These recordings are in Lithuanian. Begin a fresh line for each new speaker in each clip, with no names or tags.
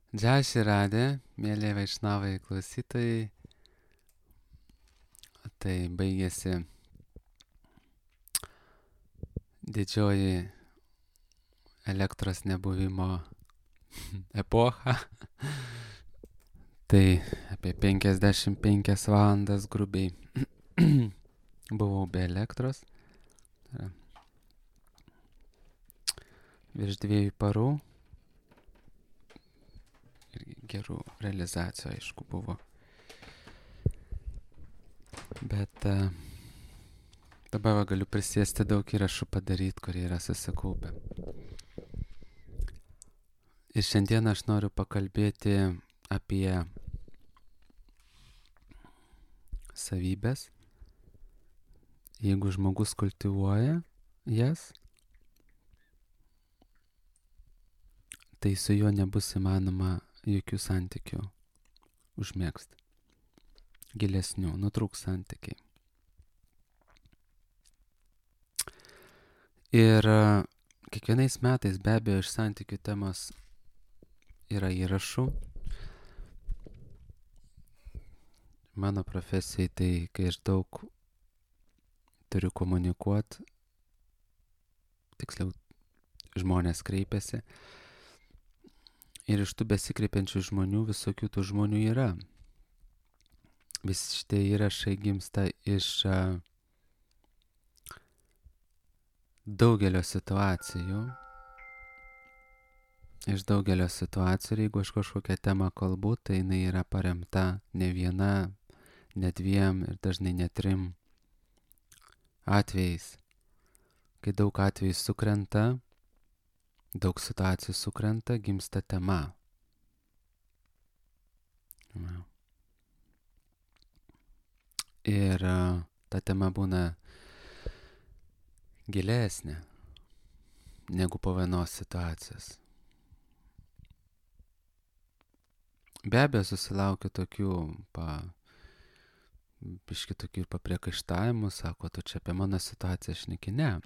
Džai Širadė, mėly Vaišnavai klausytojai, tai baigėsi didžioji elektros nebuvimo epocha. Tai apie 55 valandas grubiai buvau be elektros. Virš 2 parų. Ir gerų realizacijų, aišku, buvo. Bet dabar galiu prisėsti daug įrašų padaryti, kurie yra susikaupę. Ir šiandien aš noriu pakalbėti apie savybės. Jeigu žmogus kultivuoja jas, tai su juo nebus įmanoma jokių santykių užmėgsti. Gilesnių, nutrūks santykiai. Ir kiekvienais metais be abejo iš santykių temos yra įrašų. Mano profesijai tai, kai aš daug turiu komunikuoti, tiksliau žmonės kreipiasi. Ir iš tų besikreipiančių žmonių visokių tų žmonių yra. Visi šitie įrašai gimsta iš daugelio situacijų. Iš daugelio situacijų, ir jeigu aš kažkokią temą kalbu, tai jinai yra paremta ne viena, ne dviem ir dažnai ne 3 atvejais. Kai daug atvejų sukrenta, daug situacijų sukrenta, gimsta tema. Ir ta tema būna gilesnė negu po vienos situacijos. Be abejo susilaukia tokių biški tokių papriekaištavimų, sako, tu čia apie mano situaciją šneki. Ne.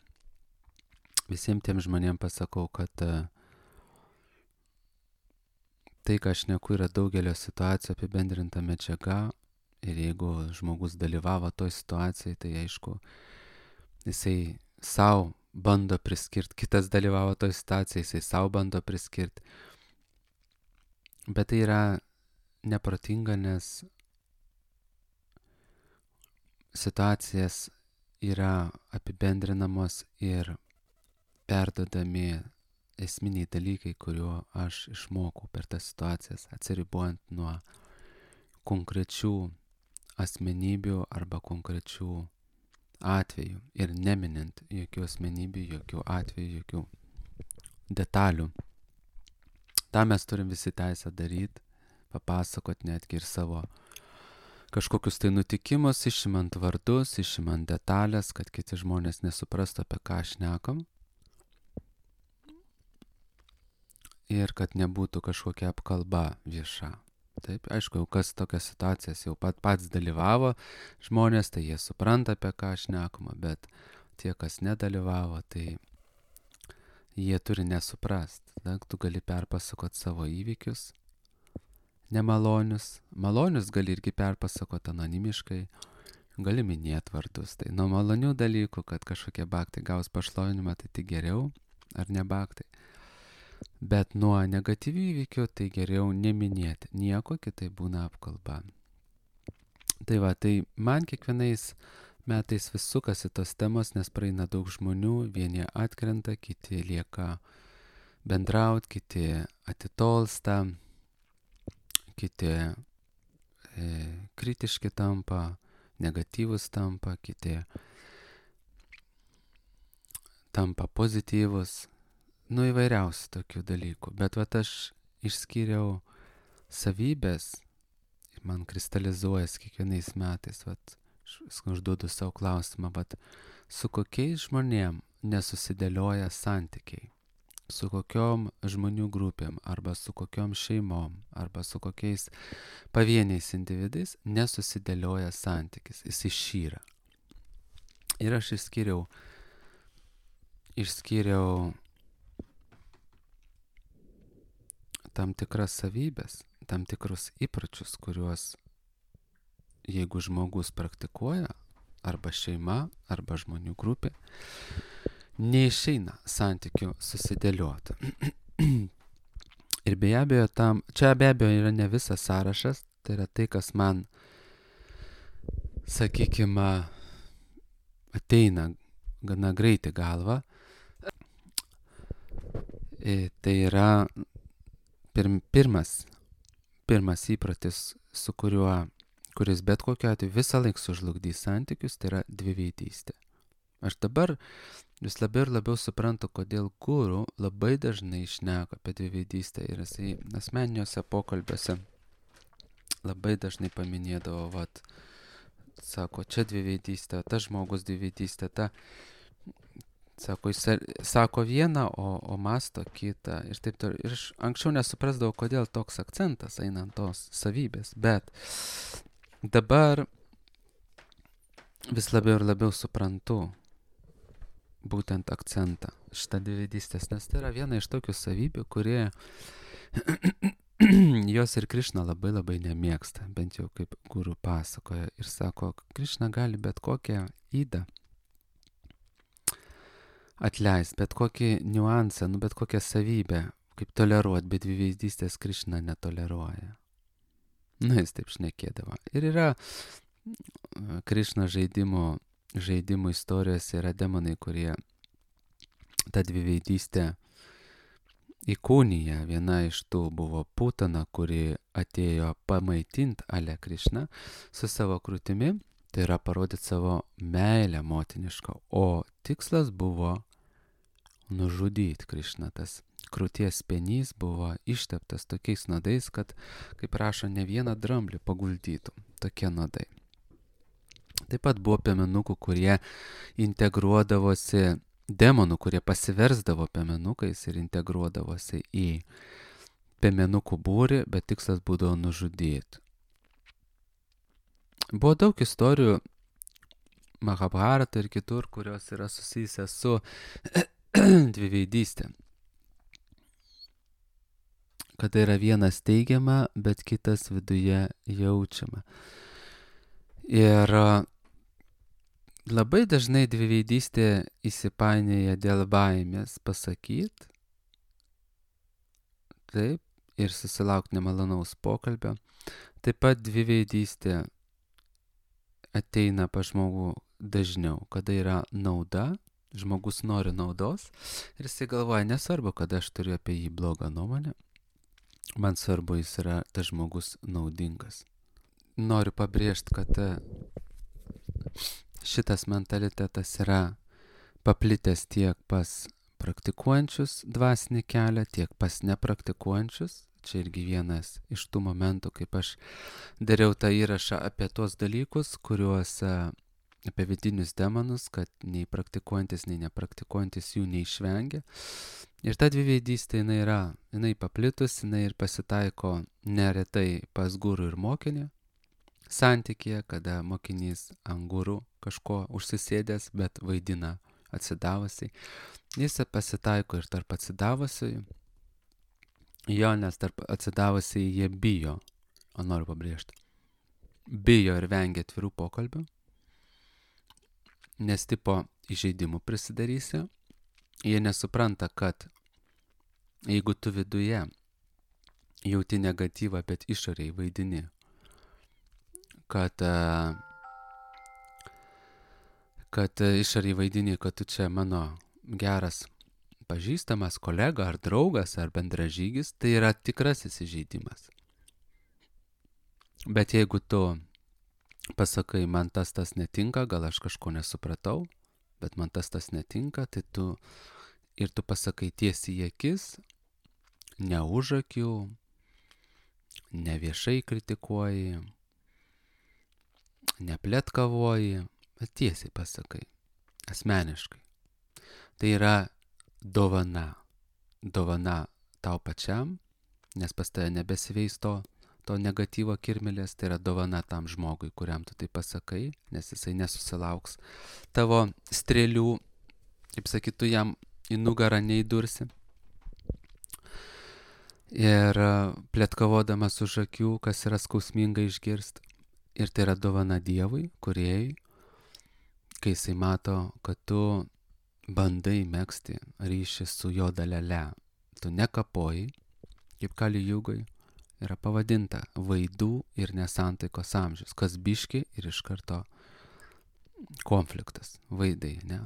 Visiems tiem žmonėm pasakau, kad tai, ką aš šneku, yra daugelio situacijų apibendrinta medžiaga. Ir jeigu žmogus dalyvavo toj situacijai, tai aišku, jisai savo bando priskirti, kitas dalyvavo toj situacijai, jisai savo bando priskirti. Bet tai yra neprotinga, nes situacijas yra apibendrinamos ir perdodami esminiai dalykai, kuriuo aš išmokau per tas situacijas, atsiribojant nuo konkrečių asmenybių arba konkrečių atvejų ir neminint jokių asmenybių, jokių atvejų, jokių detalių. Ta mes turim visi teisę daryti, papasakot netgi ir savo kažkokius tai nutikimus, išimant vardus, išimant detalės, kad kiti žmonės nesuprastų, apie ką šnekam. Ir kad nebūtų kažkokia apkalba vieša. Taip, aišku, jau kas tokias situacijas jau pats dalyvavo žmonės, tai jie supranta, apie ką šnekama, bet tie, kas nedalyvavo, tai jie turi nesuprast. Tu gali perpasakot savo įvykius, nemalonius. Malonius gali irgi perpasakot anonimiškai, gali minėti vardus. Tai nuo malonių dalykų, kad kažkokie baktai gaus pašlovinimą, tai tik geriau, ar ne baktai. Bet nuo negatyvių įvykių tai geriau neminėti. Nieko, kitai būna apkalba. Tai va, tai man kiekvienais metais vis sukasi tos temos, nes praeina daug žmonių, vieni atkrenta, kiti lieka bendraut, kiti atitolsta, kiti kritiški tampa, negatyvus tampa, kiti tampa pozityvus. Įvairiausių tokių dalykų. Bet vat aš išskyriau savybės ir man kristalizuojas kiekvienais metais. Vat aš užduodu savo klausimą, vat su kokiais žmonėm nesusidėlioja santykiai. Su kokiom žmonių grupėm, arba su kokiom šeimom, arba su kokiais pavieniais individais nesusidėlioja santykis. Jis išyra. Ir aš išskyriau tam tikras savybės, tam tikrus įpročius, kuriuos jeigu žmogus praktikuoja, arba šeima, arba žmonių grupė, neišeina santykių susidėlioti. Ir be abejo, čia be abejo yra ne visas sąrašas, tai yra tai, kas man, sakykime, ateina gana greitai galva. Tai yra pirmas įprotis, kuris bet kokiu atveju visą laiką sužlugdys santykius, tai yra dviveidystė. Aš dabar vis labiau ir labiau suprantu, kodėl guru labai dažnai šneka apie dviveidystę ir jisai asmeniniuose pokalbiuose labai dažnai paminėdavo, sako, čia dviveidystė, tas žmogus dviveidystė, sako, jis sako vieną, o masto kitą ir taip toliau. Ir aš anksčiau nesuprasdavau, kodėl toks akcentas eina ant tos savybės, bet dabar vis labiau ir labiau suprantu būtent akcentą šitą dviveidystės, nes tai yra viena iš tokių savybių, kurie jos ir Krišna labai labai nemėgsta, bent jau kaip guru pasakoja ir sako, Krišna gali bet kokią ydą atleisti, bet kokį niuansą, bet kokią savybę, kaip toleruoti, bet dviveizdystės Krišna netoleruoja. Jis taip šnekėdavo. Ir yra Krišna žaidimų istorijose yra demonai, kurie tą dviveidystę įkūnyje. Viena iš tų buvo Putana, kuri atėjo pamaitinti Ale Krišną su savo krūtimi, tai yra parodyti savo meilę motinišką, o tikslas buvo nužudyti Krišną. Tas krūties penys buvo išteptas tokiais nuodais, kad, kaip rašo, ne vieną dramblį paguldytų. Tokie nuodai. Taip pat buvo piemenukų, kurie integruodavosi, demonų, kurie pasiversdavo piemenukais ir integruodavosi į piemenukų būrį, bet tikslas būdavo nužudyti. Buvo daug istorijų Mahabharata ir kitur, kurios yra susijusios su dviveidystė. Kada yra vienas teigiama, bet kitas viduje jaučiama. Ir labai dažnai dviveidystė įsipainėja dėl baimės pasakyti, taip, ir susilaukti nemalonaus pokalbio. Taip pat dviveidystė ateina pas žmogų dažniau, kada yra nauda, žmogus nori naudos ir jisai galvoja, nesvarbu, kad aš turiu apie jį blogą nuomonę, man svarbu, jis yra tas žmogus naudingas. Noriu pabrėžti, kad šitas mentalitetas yra paplitęs tiek pas praktikuojančius dvasinį kelią, tiek pas nepraktikuojančius. Čia irgi vienas iš tų momentų, kaip aš dariau tą įrašą apie tuos dalykus, kuriuos apie vidinius demonus, kad nei praktikuojantis, nei nepraktikuojantis jų neišvengia. Ir ta dviveidystė jinai paplitus, jinai ir pasitaiko neretai pas guru ir mokinį santykėje, kada mokinys ant guru kažko užsisėdęs, bet vaidina atsidavusiai. Jis pasitaiko ir tarp atsidavusiai. Jo, nes tarp atsidavusiai jie bijo, noriu pabrėžti, bijo ir vengia atvirų pokalbių, nes tipo įžeidimų prisidarysi. Jie nesupranta, kad jeigu tu viduje jauti negatyvą, bet išoriai vaidini, kad išoriai vaidini, kad tu čia mano geras pažįstamas kolega ar draugas ar bendražygis, tai yra tikrasis įžeidimas. Bet jeigu tu pasakai, man tas netinka, gal aš kažko nesupratau, bet man tas netinka, tai tu pasakai tiesiai į akis, ne už akių, ne viešai kritikuoji, ne pletkavoji, bet tiesiai pasakai, asmeniškai. Tai yra dovana tau pačiam, nes pas tave nebesiveis to negatyvo kirmelės, tai yra dovana tam žmogui, kuriam tu tai pasakai, nes jisai nesusilauks tavo strėlių, kaip sakytų, jam į nugarą neįdursi. ir plėtkavodamas už akių, kas yra skausminga išgirsti. Ir tai yra dovana Dievui, kūrėjui, kai jisai mato, kad tu bandai megzti ryšį su jo dalele. Tu nekapoji, kaip Kali Jugai yra pavadinta vaidų ir nesantaikos amžius, kas biški ir iš karto konfliktas, vaidai, ne?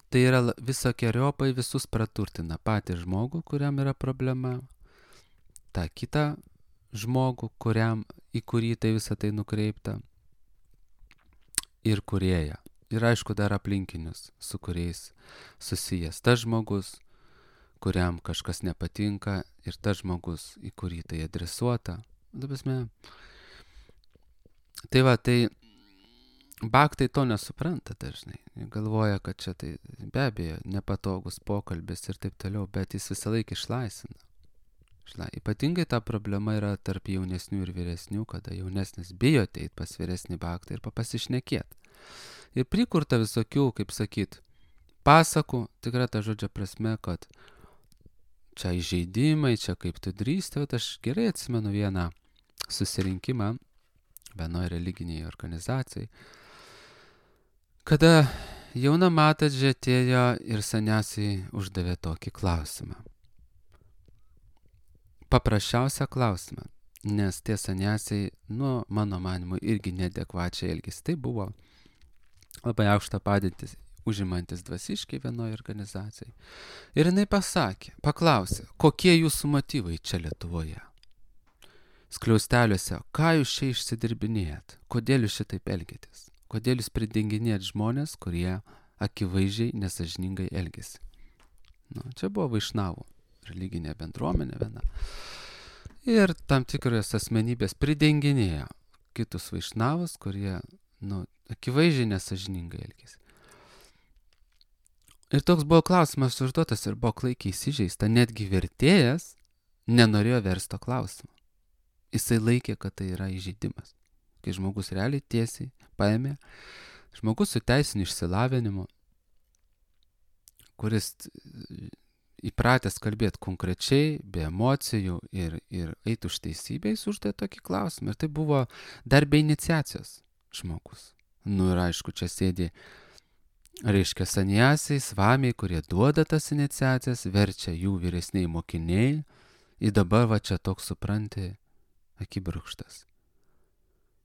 Tai yra visokiojopai visus praturtina patį žmogų, kuriam yra problema, tą kitą žmogų, į kurį tai visą tai nukreipta, ir kūrėją. Ir aišku, dar aplinkinius, su kuriais susijęs tas žmogus, kuriam kažkas nepatinka, ir tas žmogus, į kurį tai adresuota. Tai va, tai baktai to nesupranta dažnai. Galvoja, kad čia tai be abejo nepatogus pokalbis ir taip toliau, bet jis visą laiką išlaisvina. Ypatingai ta problema yra tarp jaunesnių ir vyresnių, kada jaunesnis bijo ateit pas vyresnį baktą ir pasišnekėti. Ir prikurta visokių, kaip sakyt, pasakų, tikrai ta žodžio prasme, kad čia įžeidimai, čia kaip tu drįsti. Aš gerai atsimenu vieną susirinkimą vienoje religiniai organizacijai, kada jauna matadžė atėjo ir saniasiai uždavė tokį klausimą. Paprasčiausią klausimą, nes tie saniasiai, mano manimu, irgi neadekvačiai elgėsi. Tai buvo labai aukštą padėtį užimantis dvasiškai vienoje organizacijai. Ir jinai paklausė, kokie jūsų motyvai čia Lietuvoje? Skliausteliuose, ką jūs čia išsidirbinėjat? Kodėl jūs šitaip elgėtės? Kodėl jūs pridenginėjat žmonės, kurie akivaizdžiai nesažiningai elgėsi? Čia buvo vaišnavų religinė bendruomenė viena. Ir tam tikros asmenybės pridenginėjo kitus vaišnavus, kurie, akivaizdžiai nesažiningai elgėsi. Ir toks buvo klausimas užduotas ir buvo klaikiai įsižeista. Netgi vertėjas nenorėjo versto klausimo. Jisai laikė, kad tai yra įžeidimas. Kai žmogus realiai tiesiai paėmė, žmogus su teisiniu išsilavinimu, kuris įpratęs kalbėti konkrečiai, be emocijų ir eiti už teisybę, jis uždavė tokį klausimą. Ir tai buvo dar be iniciacijos žmogus. Ir aišku, čia sėdi, reiškia, saniasiai, svamiai, kurie duoda tas iniciacijas, verčia jų vyresniai mokiniai. Ir dabar va čia toks, supranti, akibrokštas.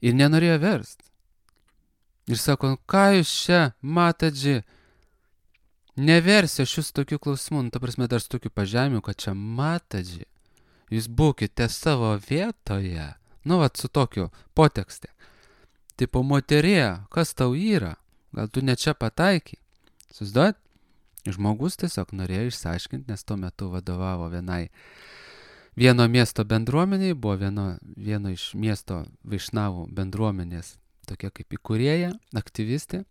Ir nenorėjo verst. Ir sako, ką jūs čia, matadži, neversiu aš jūs tokių klausimų, ta prasme dar su tokiu pažemiu, kad čia matadži, jūs būkite savo vietoje, su tokiu potekste. Tipo, moterė, kas tau yra? Gal tu ne čia pataikai? Susiduot? Žmogus tiesiog norėjo išsiaiškinti, nes tuo metu vadovavo vieno miesto bendruomeniai, buvo vieno iš miesto vaišnavų bendruomenės, tokia kaip įkūrėja, aktyvistė.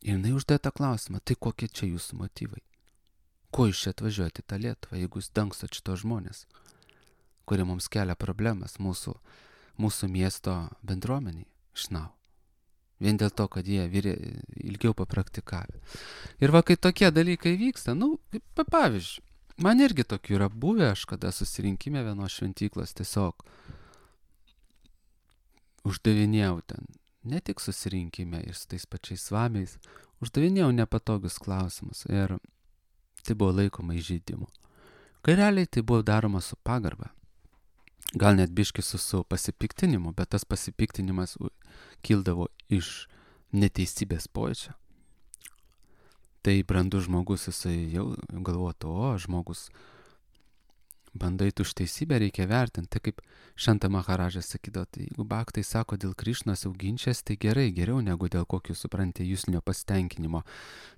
Ir jinai uždėjo tą klausimą, tai kokie čia jūsų motyvai? Ko jūs čia atvažiuojate į tą Lietuvą, jeigu jūs dangstot šitos žmonės, kurie mums kelia problemas mūsų miesto bendruomeniai išnau. Vien dėl to, kad jie ilgiau papraktikavę. Ir va, kai tokie dalykai vyksta, pavyzdžiui, man irgi tokių yra buvę, aš kada susirinkime vienos šventyklos tiesiog uždavinėjau ten, ne tik susirinkime ir su tais pačiais svamiais, uždavinėjau nepatogius klausimus ir tai buvo laikoma įžeidimu. Kai realiai tai buvo daroma su pagarba. Gal net biški su pasipiktinimu, bet tas pasipiktinimas kildavo iš neteisybės pojūčio. Tai brandus žmogus, jisai jau galvotų, žmogus bandai už teisybę, reikia vertinti. Tai kaip Šanta Maharadžas sakydavo, tai jeigu baktai sako dėl Krišnos jau ginčias, tai gerai, geriau negu dėl kokių, suprantate, jūslinio pasitenkinimo.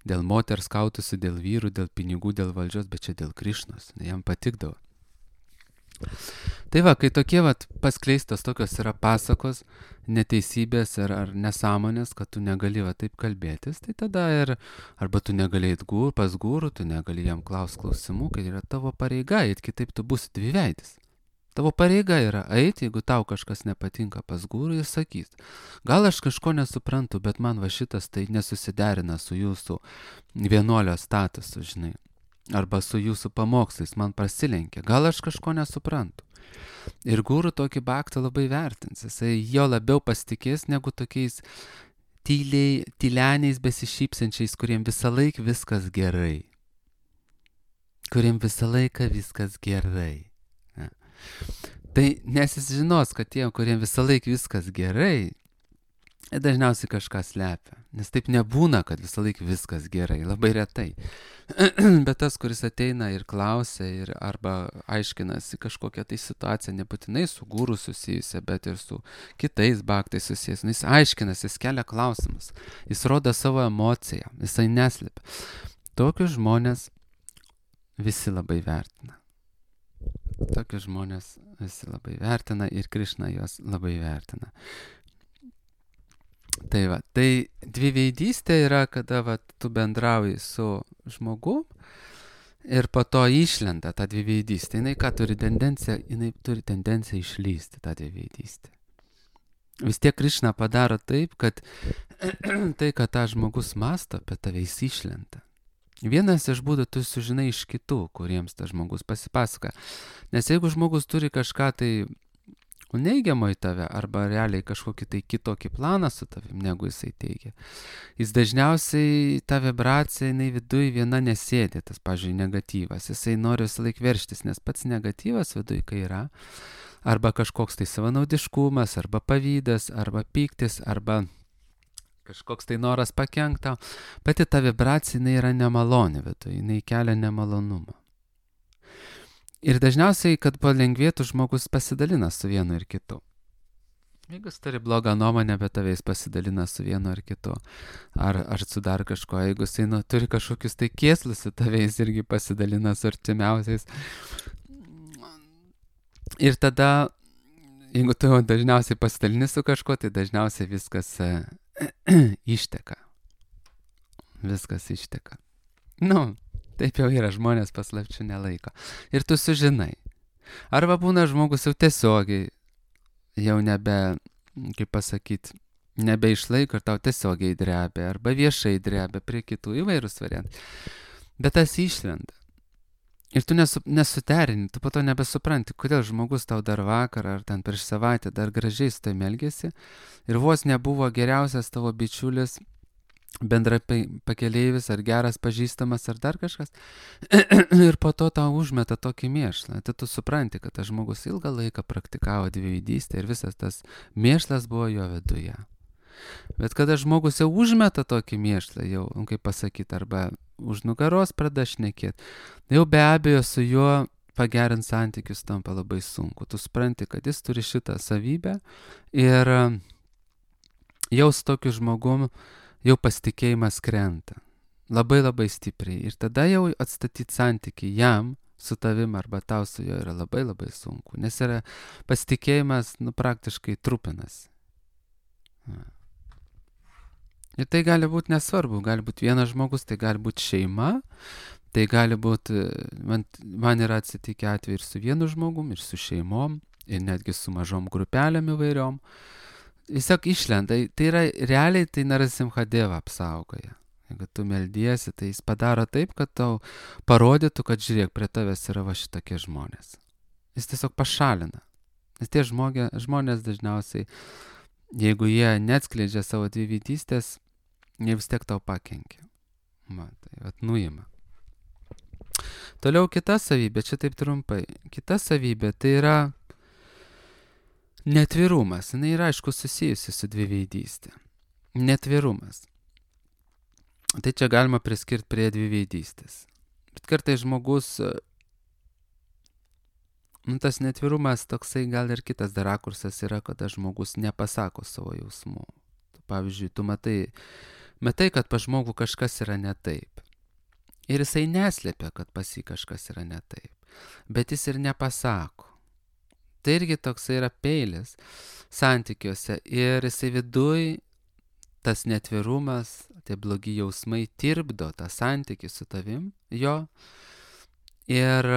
Dėl moters kautųsi, dėl vyrų, dėl pinigų, dėl valdžios, bet čia dėl Krišnos. Jam patikdavo. Tai va, kai tokie paskleistos tokios yra pasakos, neteisybės ar nesąmonės, kad tu negali taip kalbėtis, tai tada arba tu negali eit pas gūrų, tu negali jam klausimų, kai yra tavo pareiga eit, kitaip tu būsi dviveidis. Tavo pareiga yra eiti, jeigu tau kažkas nepatinka pas gūrų ir sakys, gal aš kažko nesuprantu, bet man va šitas tai nesusiderina su jūsų vienuolio statusu, žinai. arba su jūsų pamokslais man prasilenkia, gal aš kažko nesuprantu. Ir guru tokį baktą labai vertins, jisai jo labiau pasitikės negu tokiais tyleniais besišypsančiais, kuriem visą laiką viskas gerai. Kuriem visą laiką viskas gerai. Ja. Tai nes jis žinos, kad tie, kuriem visą laiką viskas gerai, dažniausiai kažką slepia. Nes taip nebūna, kad visą laiką viskas gerai, labai retai. Bet tas, kuris ateina ir klausia, ir arba aiškinasi kažkokią tai situaciją, nebūtinai su guru susijusią, bet ir su kitais baktais susijęs, jis aiškinasi, jis kelia klausimus, jis rodo savo emociją, jisai neslėpia. Tokius žmonės visi labai vertina. Tokius žmonės visi labai vertina ir Krišna juos labai vertina. Tai va, tai dviveidystė yra, kada va, tu bendrauji su žmogu ir po to išlenda ta dviveidystė. Jinai ką turi tendenciją? Jinai turi tendenciją išlysti tą dviveidystę. Vis tiek Krišna padaro taip, kad tai, kad tą žmogus masto apie tave, jis išlenda. Vienas iš būdų tu sužinai iš kitų, kuriems tas žmogus pasipasaka. Nes jeigu žmogus turi kažką tai neigiamo į tave, arba realiai kažkokį tai kitokį planą su tavim, negu jisai teigia, jis dažniausiai ta vibracija, jinai viduj viena nesėdė, tas, pavyzdžiui, negatyvas. Jisai nori visą laiką verštis, nes pats negatyvas viduj, kai yra, arba kažkoks tai savanaudiškumas, arba pavydas, arba pyktis, arba kažkoks tai noras pakenkt tau, pati ta vibracija, jinai yra nemaloni viduj, jinai kelia nemalonumą. Ir dažniausiai, kad palengvėtų, žmogus pasidalina su vienu ir kitu. Jeigu jis turi blogą nuomonę apie tave, jis pasidalina su vienu ar kitu. Ar su dar kažko. Jeigu jis turi kažkokius tai kėslus su tave, jis irgi pasidalina su artimiausiais. Ir tada, jeigu tu dažniausiai pasidalini su kažko, tai dažniausiai viskas išteka. Viskas išteka. Taip jau yra, žmonės paslapčių nelaiko. Ir tu sužinai. Arba būna žmogus jau tiesiogiai, jau nebe, kaip pasakyti, nebeišlaiko ir tau tiesiogiai drebia, arba viešai drebia prie kitų, įvairūs variantai. Bet tas išlenda. Ir tu nesuterini, tu po to nebesupranti, kodėl žmogus tau dar vakar ar ten prieš savaitę dar gražiai su tavim elgėsi ir vos nebuvo geriausias tavo bičiulis, bendra pakeleivis ar geras pažįstamas ar dar kažkas ir po to tau užmeta tokį mėšlą. Tai tu supranti, kad tas žmogus ilgą laiką praktikavo dviveidystę ir visas tas mėšlas buvo jo viduje. Bet kada žmogus jau užmeta tokį mėšlą, jau, kaip pasakyti, arba už nugaros pradeda šnekėti, jau be abejo su juo pagerinti santykius tampa labai sunku. Tu supranti, kad jis turi šitą savybę ir jau su tokiu žmogum jau pasitikėjimas krenta. Labai labai stipriai. Ir tada jau atstatyti santykį jam su tavim arba tau su juo yra labai labai sunku. Nes yra pasitikėjimas, praktiškai trupinas. Ir tai gali būti nesvarbu. Gali būti vienas žmogus, tai gali būti šeima, tai gali būti, man yra atsitikę atveju ir su vienu žmogum, ir su šeimom, ir netgi su mažom grupelėm įvairiom. Tiesiog išlenda, tai yra realiai tai Narasimhadeva apsaugoja. Jeigu tu meldiesi, tai jis padaro taip, kad tau parodytų, kad žiūrėk, prie tavęs yra va šitokie žmonės. Jis tiesiog pašalina. Nes tie žmonės dažniausiai, jeigu jie neatskleidžia savo dviveidystės, jie vis tiek tau pakenkia. Tai nuima. Toliau kita savybė, čia taip trumpai. Kita savybė tai yra netvirumas. Jis yra, aišku, susijusi su dviveidystė. Netvirumas. Tai čia galima priskirti prie dviveidystės. Bet kartais žmogus, tas netvirumas toksai gal ir kitas dar rakursas yra, kada žmogus nepasako savo jausmų. Pavyzdžiui, tu matai, kad pas žmogų kažkas yra ne taip. Ir jisai neslėpia, kad pas jį kažkas yra ne taip. Bet jis ir nepasako. Tai irgi toksai yra peilis santykiuose. Ir jisai viduj, tas netvirumas, tie blogi jausmai tirpdo tą santykį su tavim, jo. Ir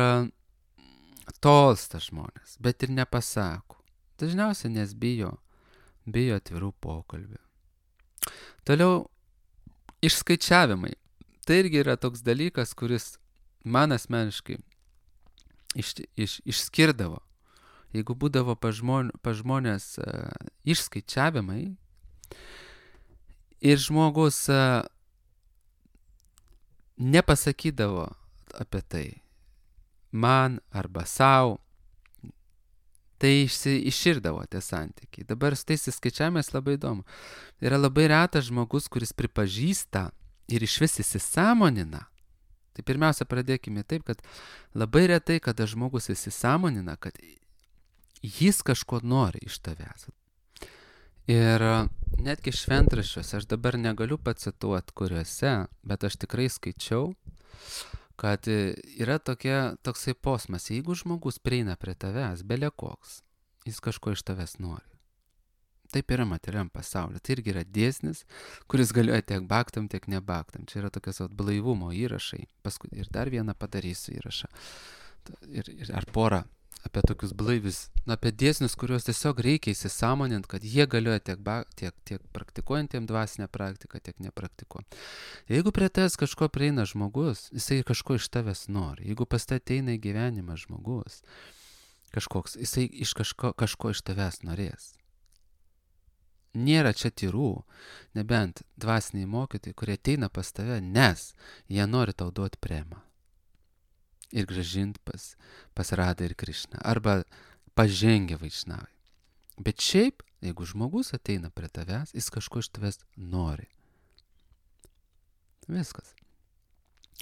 tolsta žmonės, bet ir nepasako. Dažniausiai nes bijo atvirų pokalbių. Toliau išskaičiavimai. Tai irgi yra toks dalykas, kuris man asmeniškai išskirdavo, jeigu būdavo pas žmonės išskaičiavimai ir žmogus nepasakydavo apie tai man arba savo, tai iširdavo tie santykiai. Dabar su tais įskaičiavimais labai įdomu. Yra labai retas žmogus, kuris pripažįsta ir iš vis įsisąmonina. Tai pirmiausia, pradėkime taip, kad labai retai, kada žmogus įsisąmonina, kad jis kažko nori iš tavęs. Ir netgi šventraščiuose, aš dabar negaliu pacituoti kuriuose, bet aš tikrai skaičiau, kad yra toksai posmas, jeigu žmogus prieina prie tavęs, bele koks, jis kažko iš tavęs nori. Taip yra materialiam pasaulyje. Tai irgi yra dėsnis, kuris galioja tiek baktam, tiek nebaktam. Čia yra tokios blaivumo įrašai. Paskui ir dar vieną padarysiu įrašą. Ar porą apie tokius blaivius, apie dėsnius, kuriuos tiesiog reikia įsisąmoninti, kad jie galioja tiek praktikuojantiem dvasinę praktiką, tiek nepraktikuojant. Jeigu prie tavęs kažko prieina žmogus, jisai kažko iš tavęs nori. Jeigu pas tai ateina į gyvenimą žmogus, kažkoks, jisai iš kažko iš tavęs norės. Nėra čia tyrų, nebent dvasiniai mokytojai, kurie ateina pas tave, nes jie nori tau duoti premą. Ir grąžinti pas Radą ir Krišną. Arba pažengę vaišnavai. Bet šiaip, jeigu žmogus ateina prie tavęs, jis kažko iš tavęs nori. Viskas.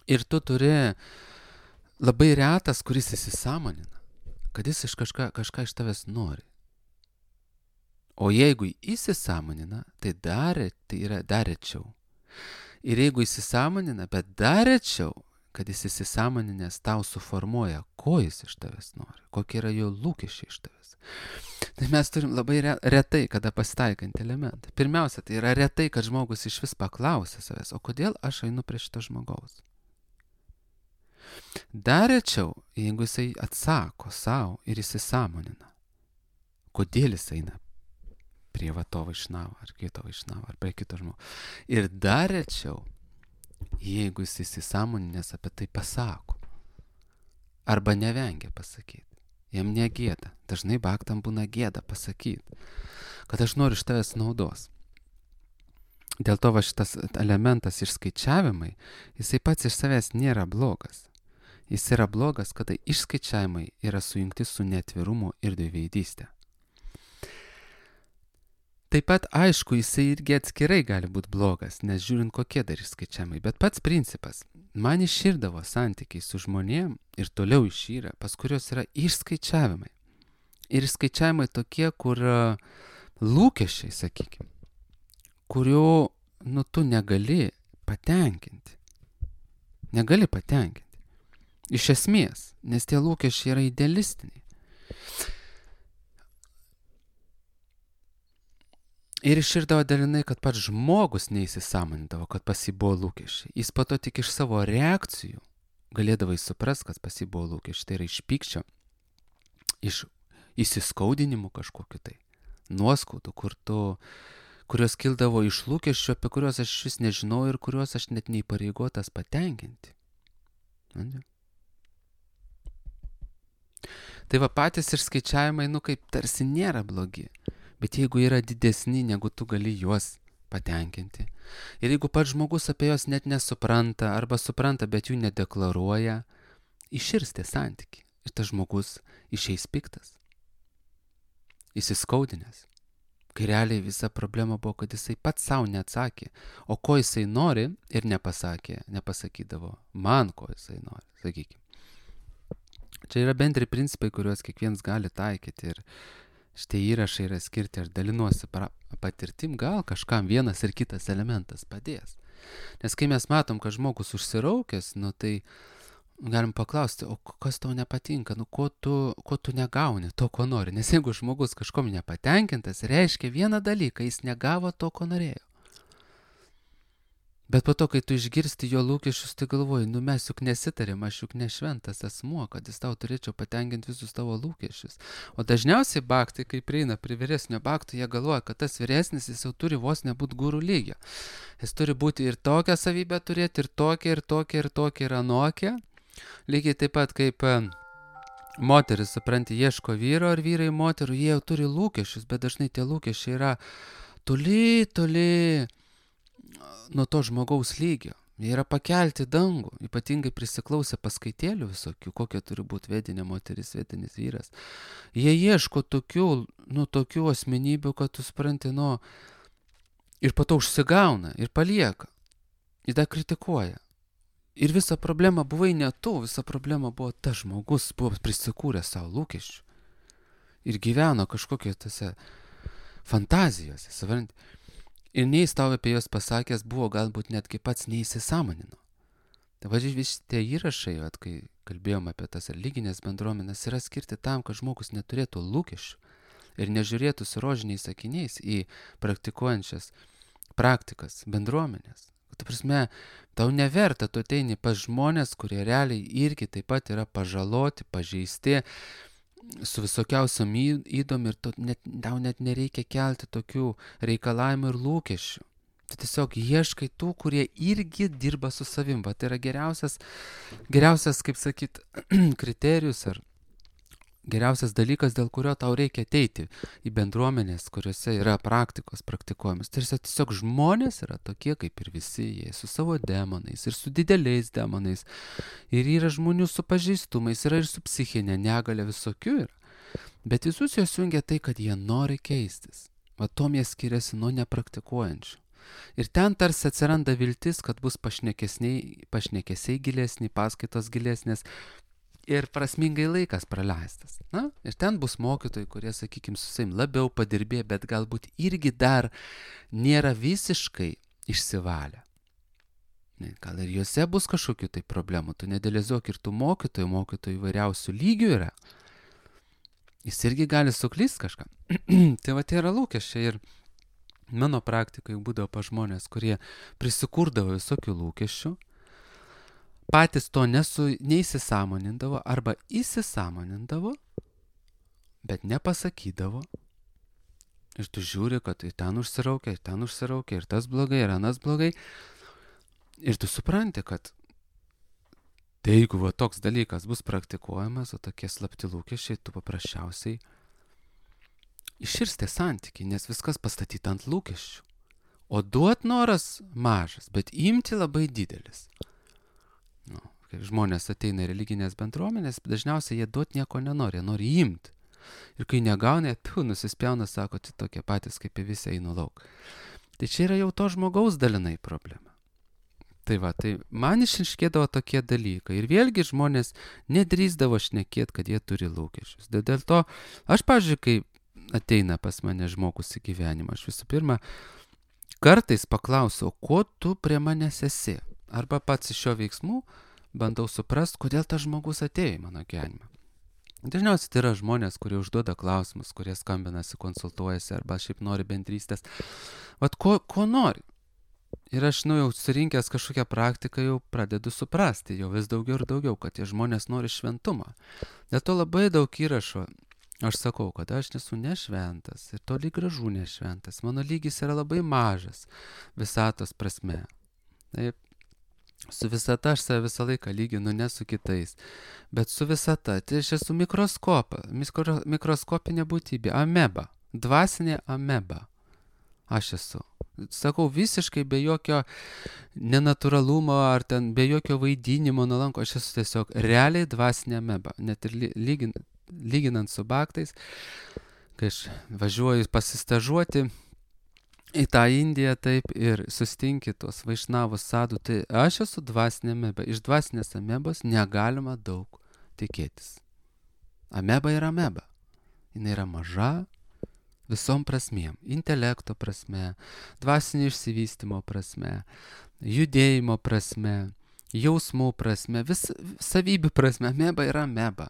Ir tu turi labai retas, kuris įsisąmonina, kad jis kažką iš tavęs nori. O jeigu įsisąmonina, tai yra dar rečiau. Ir jeigu įsisąmonina, bet dar rečiau, kad jis įsisąmoninęs tau suformuoja, ko jis iš tavęs nori, kokie yra jo lūkesčiai iš tavęs. Tai mes turim labai retai, kada pasitaikantį elementą. Pirmiausia, tai yra retai, kad žmogus iš vis paklausia savęs, o kodėl aš einu prie šito žmogaus. Dar rečiau, jeigu jisai atsako savo ir įsisąmonina, kodėl jis eina prie to vaišnavo, ar kito vaišnavo, ar prie kito žmogaus. Ir dar rečiau, jeigu jis įsisąmoninęs apie tai pasako. Arba nevengia pasakyti. Jam negėda. Dažnai baktam būna gėda pasakyti, kad aš noriu iš tavęs naudos. Dėl to šitas elementas išskaičiavimai, jisai pats iš savęs nėra blogas. Jis yra blogas, kada išskaičiavimai yra sujungti su neatvirumu ir dviveidystė. Taip pat, aišku, jisai irgi atskirai gali būti blogas, nes žiūrint kokie dar išskaičiavimai. Bet pats principas, man iširdavo santykiai su žmonėm ir toliau išyra, pas kurios yra išskaičiavimai. Ir išskaičiavimai tokie, kur lūkesčiai, sakykime, kurių, tu negali patenkinti. Negali patenkinti. Iš esmės, nes tie lūkesčiai yra idealistiniai. Ir iširdavo dalinai, kad pats žmogus neįsisąmonindavo, kad pas jį buvo lūkesčiai. Jis po to tik iš savo reakcijų galėdavo suprast, kad pas jį buvo lūkesčiai. Tai yra iš pykčio, iš įsiskaudinimų kažkokiu tai, nuoskaudų, kurios kildavo iš lūkesčių, apie kuriuos aš vis nežinau ir kuriuos aš net neįpareigotas patenkinti. Tai va patys išskaičiavimai, kaip tarsi nėra blogi. Bet jeigu yra didesni, negu tu gali juos patenkinti. Ir jeigu pats žmogus apie juos net nesupranta, arba supranta, bet jų nedeklaruoja, iširs tie santykiai. Ir tas žmogus išeis piktas. Įsiskaudinęs. Kai realiai visa problema buvo, kad jisai pats savo neatsakė. O ko jisai nori ir nepasakydavo man, ko jisai nori, sakykime. Čia yra bendri principai, kuriuos kiekvienas gali taikyti. Ir šitie įrašai yra skirti, aš dalinuosi patirtim, gal kažkam vienas ir kitas elementas padės. Nes kai mes matom, kad žmogus užsiraukęs, tai galim paklausti, o kas tau nepatinka, ko tu negauni, to, ko nori. Nes jeigu žmogus kažkom nepatenkintas, reiškia vieną dalyką, jis negavo to, ko norėjo. Bet po to, kai tu išgirsti jo lūkesčius, tai galvoji, mes juk nesitarėm, aš juk ne šventas asmuo, kad jis tau turėčiau patenkinti visus tavo lūkesčius. O dažniausiai baktai, kai prieina prie vyresnio bakto, jie galvoja, kad tas vyresnis jis jau turi vos nebūti gurų lygio. Jis turi būti ir tokią savybę turėti, ir tokią, ir anokią. Lygiai taip pat kaip moteris, supranti, ieško vyro ar vyrai moterų, jie jau turi lūkesčius, bet dažnai tie lūkesčiai yra toli, toli nuo to žmogaus lygio. Jie yra pakelti dangų, ypatingai prisiklausę paskaitėlių visokių, kokia turi būti vedinė moteris, vedinis vyras. Jie ieško tokių asmenybių, kad tu supranti, ir po to užsigauna, ir palieka, ir dar kritikuoja. Ir visa problema buvai ne tu, visa problema buvo tas žmogus, buvo prisikūręs savo lūkesčių. Ir gyveno kažkokie tose fantazijose, supranti. Ir nei jis tau apie juos pasakęs buvo, galbūt netgi pats neįsisąmonino. Tai vadžiai visi tie įrašai, kai kalbėjom apie tas religinės bendruomenės, yra skirti tam, kad žmogus neturėtų lūkesčių ir nežiūrėtų su rožiniais akiniais į praktikuojančias praktikas, bendruomenės. Ta prasme, tau neverta, tu ateini pas žmonės, kurie realiai irgi taip pat yra pažaloti, pažeisti, su visokiausiam įdom ir tau net nereikia kelti tokių reikalavimų ir lūkesčių. Tu tiesiog ieškai tų, kurie irgi dirba su savim. Va, tai yra geriausias, kaip sakyt, kriterijus ar geriausias dalykas, dėl kurio tau reikia ateiti į bendruomenės, kuriuose yra praktikos praktikuojamas. Tai tiesiog žmonės yra tokie kaip ir visi, jie su savo demonais ir su dideliais demonais. Ir yra žmonių su pažeistumais, yra ir su psichinė negalia, visokių yra. Bet visus juos jungia tai, kad jie nori keistis. Va, tom jie skiriasi nuo nepraktikuojančių. Ir ten tarsi atsiranda viltis, kad bus pašnekesiai gilesni, paskaitos gilesnės, ir prasmingai laikas praleistas. Ir ten bus mokytojai, kurie, sakykime, su savim labiau padirbė, bet galbūt irgi dar nėra visiškai išsivalę. Gal ir juose bus kažkokių tai problemų. Tu nedėlizuok ir tų mokytojų įvairiausių lygių yra. Jis irgi gali suklysti kažką. Tai va, tai yra lūkesčiai. Ir mano praktikai būdavo pa žmonės, kurie prisikurdavo visokių lūkesčių, patys to neįsisąmonindavo arba įsisąmonindavo, bet nepasakydavo. Ir tu žiūri, kad tai ten užsiraukia, ir tas blogai, ir anas blogai. Ir tu supranti, kad tai jeigu va, toks dalykas bus praktikuojamas, o tokie slapti lūkesčiai, tu paprasčiausiai iširstė santykiai, nes viskas pastatyta ant lūkesčių. O duot noras mažas, bet imti labai didelis. Kai žmonės ateina į religinės bendruomenės, dažniausiai jie duot nieko nenori, jie nori imti. Ir kai negauna, nusispjauna, sako, tai tokie patys kaip ir visi eina lauk. Tai čia yra jau to žmogaus dalinai problema. Tai va, tai man išriškėdavo tokie dalykai. Ir vėlgi žmonės nedrįsdavo šnekėti, kad jie turi lūkesčius. Dėl to, aš, pavyzdžiui, kai ateina pas mane žmogus į gyvenimą, aš visų pirma, kartais paklausiau, ko tu prie manęs esi? Arba pats iš šio veiksmų bandau suprast, kodėl tas žmogus atėjo į mano gyvenimą. Dažniausiai tai yra žmonės, kurie užduoda klausimus, kurie skambinasi, konsultuojasi arba šiaip nori bendrystės. Vat ko nori? Ir aš, jau surinkęs kažkokią praktiką, jau pradedu suprasti, jau vis daugiau ir daugiau, kad tie žmonės nori šventumą. Dėl to labai daug įrašo. Aš sakau, kad aš nesu nešventas ir toli gražu nešventas. Mano lygis yra labai mažas visatos prasme. Taip. Su visata aš save visą laiką lyginu, ne su kitais. Bet su visata, tai aš esu mikroskopinė būtybė, ameba, dvasinė ameba. Aš esu. Sakau, visiškai be jokio nenatūralumo ar ten be jokio vaidinimo nuolanko, aš esu tiesiog realiai dvasinė ameba. Net ir lyginant su baktais, kai aš važiuoju pasistažuoti į tą Indiją, taip, ir sustinki tuos vaišnavus sadų, tai aš esu dvasinė ameba. Iš dvasinės amebos negalima daug tikėtis. Ameba yra ameba. Jis yra maža visom prasmėm. Intelekto prasme, dvasinio išsivystymo prasme, judėjimo prasme, jausmų prasme, savybių prasme. Ameba yra ameba.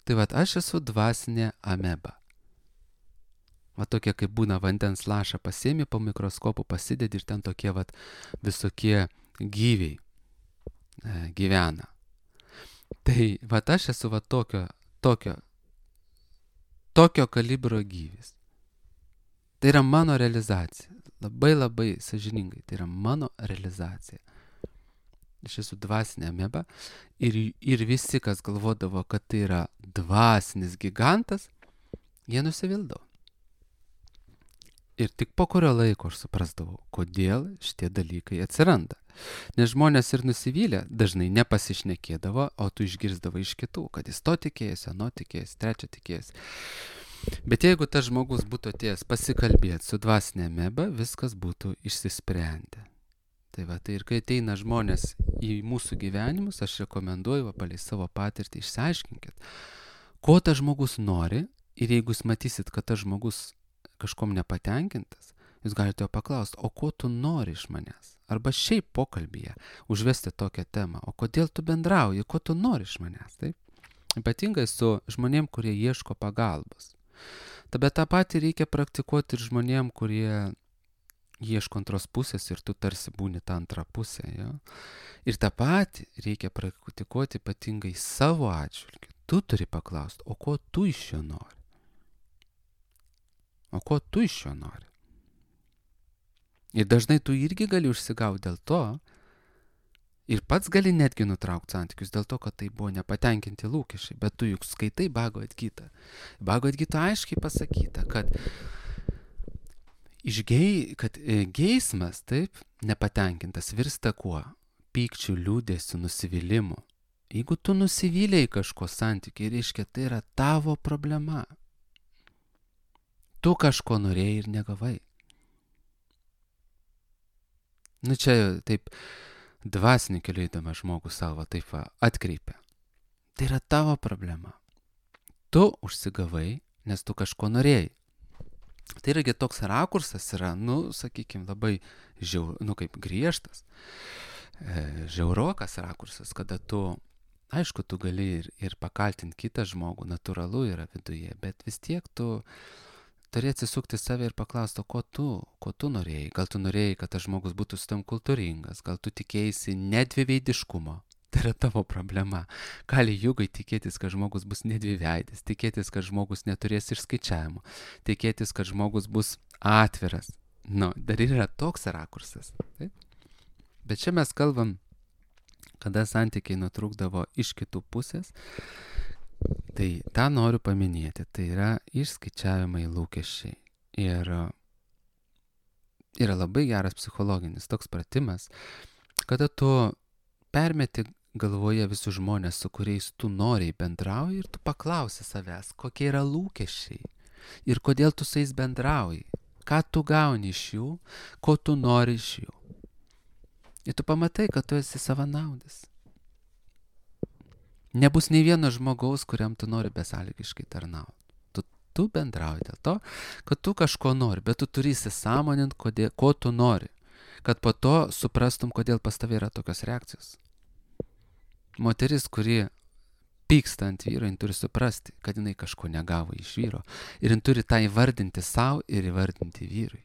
Tai vat, aš esu dvasinė ameba. Va tokie, kaip būna vandens lašą pasiemi po mikroskopu, pasidedi ir ten tokie vat visokie gyviai gyvena. Tai vat aš esu va tokio kalibro gyvis. Tai yra mano realizacija. Labai labai sąžiningai. Tai yra mano realizacija. Aš esu dvasinė ameba ir visi, kas galvodavo, kad tai yra dvasinis gigantas, jie nusivildavo. Ir tik po kurio laiko aš suprasdavau, kodėl šitie dalykai atsiranda. Nes žmonės ir nusivylę dažnai nepasišnekėdavo, o tu išgirsdavai iš kitų, kad jis to tikėjosi, ano tikėjosi, trečio tikėjosi. Bet jeigu tas žmogus būtų atėjęs pasikalbėti su dvasinė ameba, viskas būtų išsisprendę. Tai va, tai ir kai ateina žmonės į mūsų gyvenimus, aš rekomenduoju, palei savo patirtį, išsiaiškinkit, ko tas žmogus nori, ir jeigu jūs matysit, kad tas žmogus kažkom nepatenkintas, jūs galite jo paklausti, o ko tu nori iš manęs? Arba šiaip pokalbyje užvesti tokią temą, o kodėl tu bendrauji, ko tu nori iš manęs, taip? Ypatingai su žmonėm, kurie ieško pagalbos. Bet tą patį reikia praktikuoti ir žmonėm, kurie ieško antros pusės ir tu tarsi būni tą antrą pusę. Ja? Ir tą patį reikia praktikuoti ypatingai savo atžvilgiu. Tu turi paklausti, o ko tu iš jo nori? O ko tu iš jo nori? Ir dažnai tu irgi gali užsigauti dėl to ir pats gali netgi nutraukti santykius dėl to, kad tai buvo nepatenkinti lūkesčiai. Bet tu juk skaitai Bhagavad Gitą. Bhagavad Gita aiškiai pasakyta, kad geismas, taip, nepatenkintas virsta kuo? Pykčiu, liūdėsiu, nusivylimu. Jeigu tu nusivylėjai kažko santykiai, reiškia, tai yra tavo problema. Tu kažko norėjai ir negavai. Čia taip dvasinį keliu eidamas žmogus savo taip atkreipia. Tai yra tavo problema. Tu užsigavai, nes tu kažko norėjai. Tai irgi toks rakursas yra, sakykime, labai kaip griežtas, žiaurokas rakursas, kada tu, aišku, tu gali ir pakaltinti kitą žmogų, natūralu yra viduje, bet vis tiek tu turi atsisukti save ir paklausti, ko tu norėjai. Gal tu norėjai, kad tas žmogus būtų su tam kultūringas, gal tu tikėjai nedviveidiškumo. Tai yra tavo problema. Kali jugai tikėtis, kad žmogus bus nedviveidis, tikėtis, kad žmogus neturės išskaičiavimo, tikėtis, kad žmogus bus atviras. Dar yra toks rakursas. Taip? Bet čia mes kalbam, kada santykiai nutrūkdavo iš kitų pusės. Tai tą noriu paminėti, tai yra išskaičiavimai lūkesčiai. Ir yra labai geras psichologinis toks pratimas, kada tu permeti galvoje visus žmonės, su kuriais tu noriai bendrauji ir tu paklausi savęs, kokie yra lūkesčiai ir kodėl tu su jais bendrauji, ką tu gauni iš jų, ko tu nori iš jų. Ir tu pamatai, kad tu esi savanaudis. Nebus nei vieno žmogaus, kuriam tu nori besąlygiškai tarnauti. Tu bendrauji dėl to, kad tu kažko nori, bet tu turi įsisąmoninti, ko tu nori, kad po to suprastum, kodėl pas tavai yra tokios reakcijos. Moteris, kuri pyksta ant vyro, jin turi suprasti, kad jinai kažko negavo iš vyro. Ir jin turi tą įvardinti savo ir įvardinti vyrui.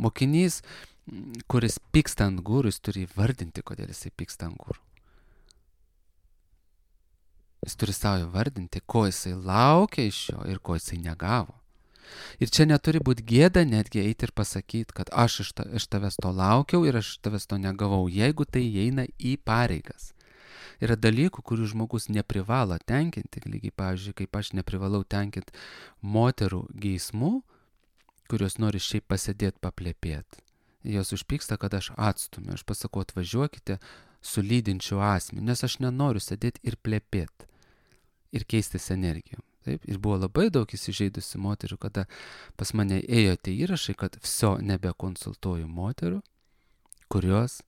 Mokinys, kuris pyksta ant gurų, jis turi įvardinti, kodėl jisai pyksta ant gurų. Jis turi savo įvardinti, ko jisai laukia iš jo ir ko jisai negavo. Ir čia neturi būti gėda netgi eiti ir pasakyti, kad aš iš tavęs to laukiau ir aš iš tavęs to negavau, jeigu tai įeina į pareigas. Yra dalykų, kurių žmogus neprivalo tenkinti, lygiai, pavyzdžiui, kaip aš neprivalau tenkinti moterų geismų, kurios nori šiaip pasėdėti paplepėti. Jos užpyksta, kad aš atstumiu, aš pasakau, atvažiuokite su lydinčiu asmeniu, nes aš nenoriu sėdėti ir plepėti ir keistis energijom. Taip? Ir buvo labai daug įsižeidusių moterų, kada pas mane ėjo tie įrašai, kad nebekonsultuoju moterų, kurios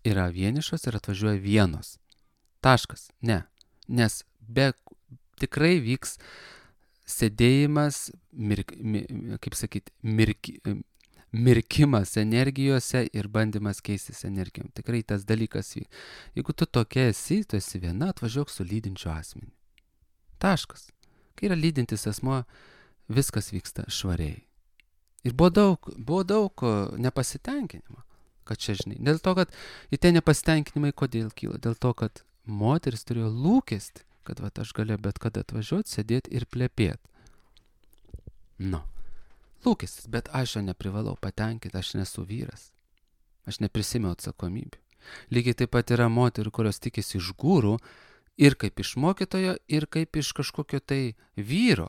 yra vienišos ir atvažiuoja vienos. Taškas. Ne. Nes tikrai vyks sėdėjimas, mirkimas energijose ir bandymas keistis energijom. Tikrai tas dalykas vyks. Jeigu tu tokia esi, tu esi viena, atvažiuok su lydinčiu asmeniu. Taškas. Kai yra lydintis asmuo, viskas vyksta švariai. Ir buvo daug nepasitenkinimo. Kad čia, žinai, dėl to, kad į tie nepasitenkinimai kodėl kyla? Dėl to, kad moteris turėjo lūkestį, kad aš galiu bet kada atvažiuoti, sėdėti ir plepėti. Lūkestis, bet aš jo neprivalau patenkinti, aš nesu vyras. Aš neprisimenu atsakomybių. Lygiai taip pat yra moterų, kurios tikisi iš gūrų ir kaip iš mokytojo, ir kaip iš kažkokio tai vyro.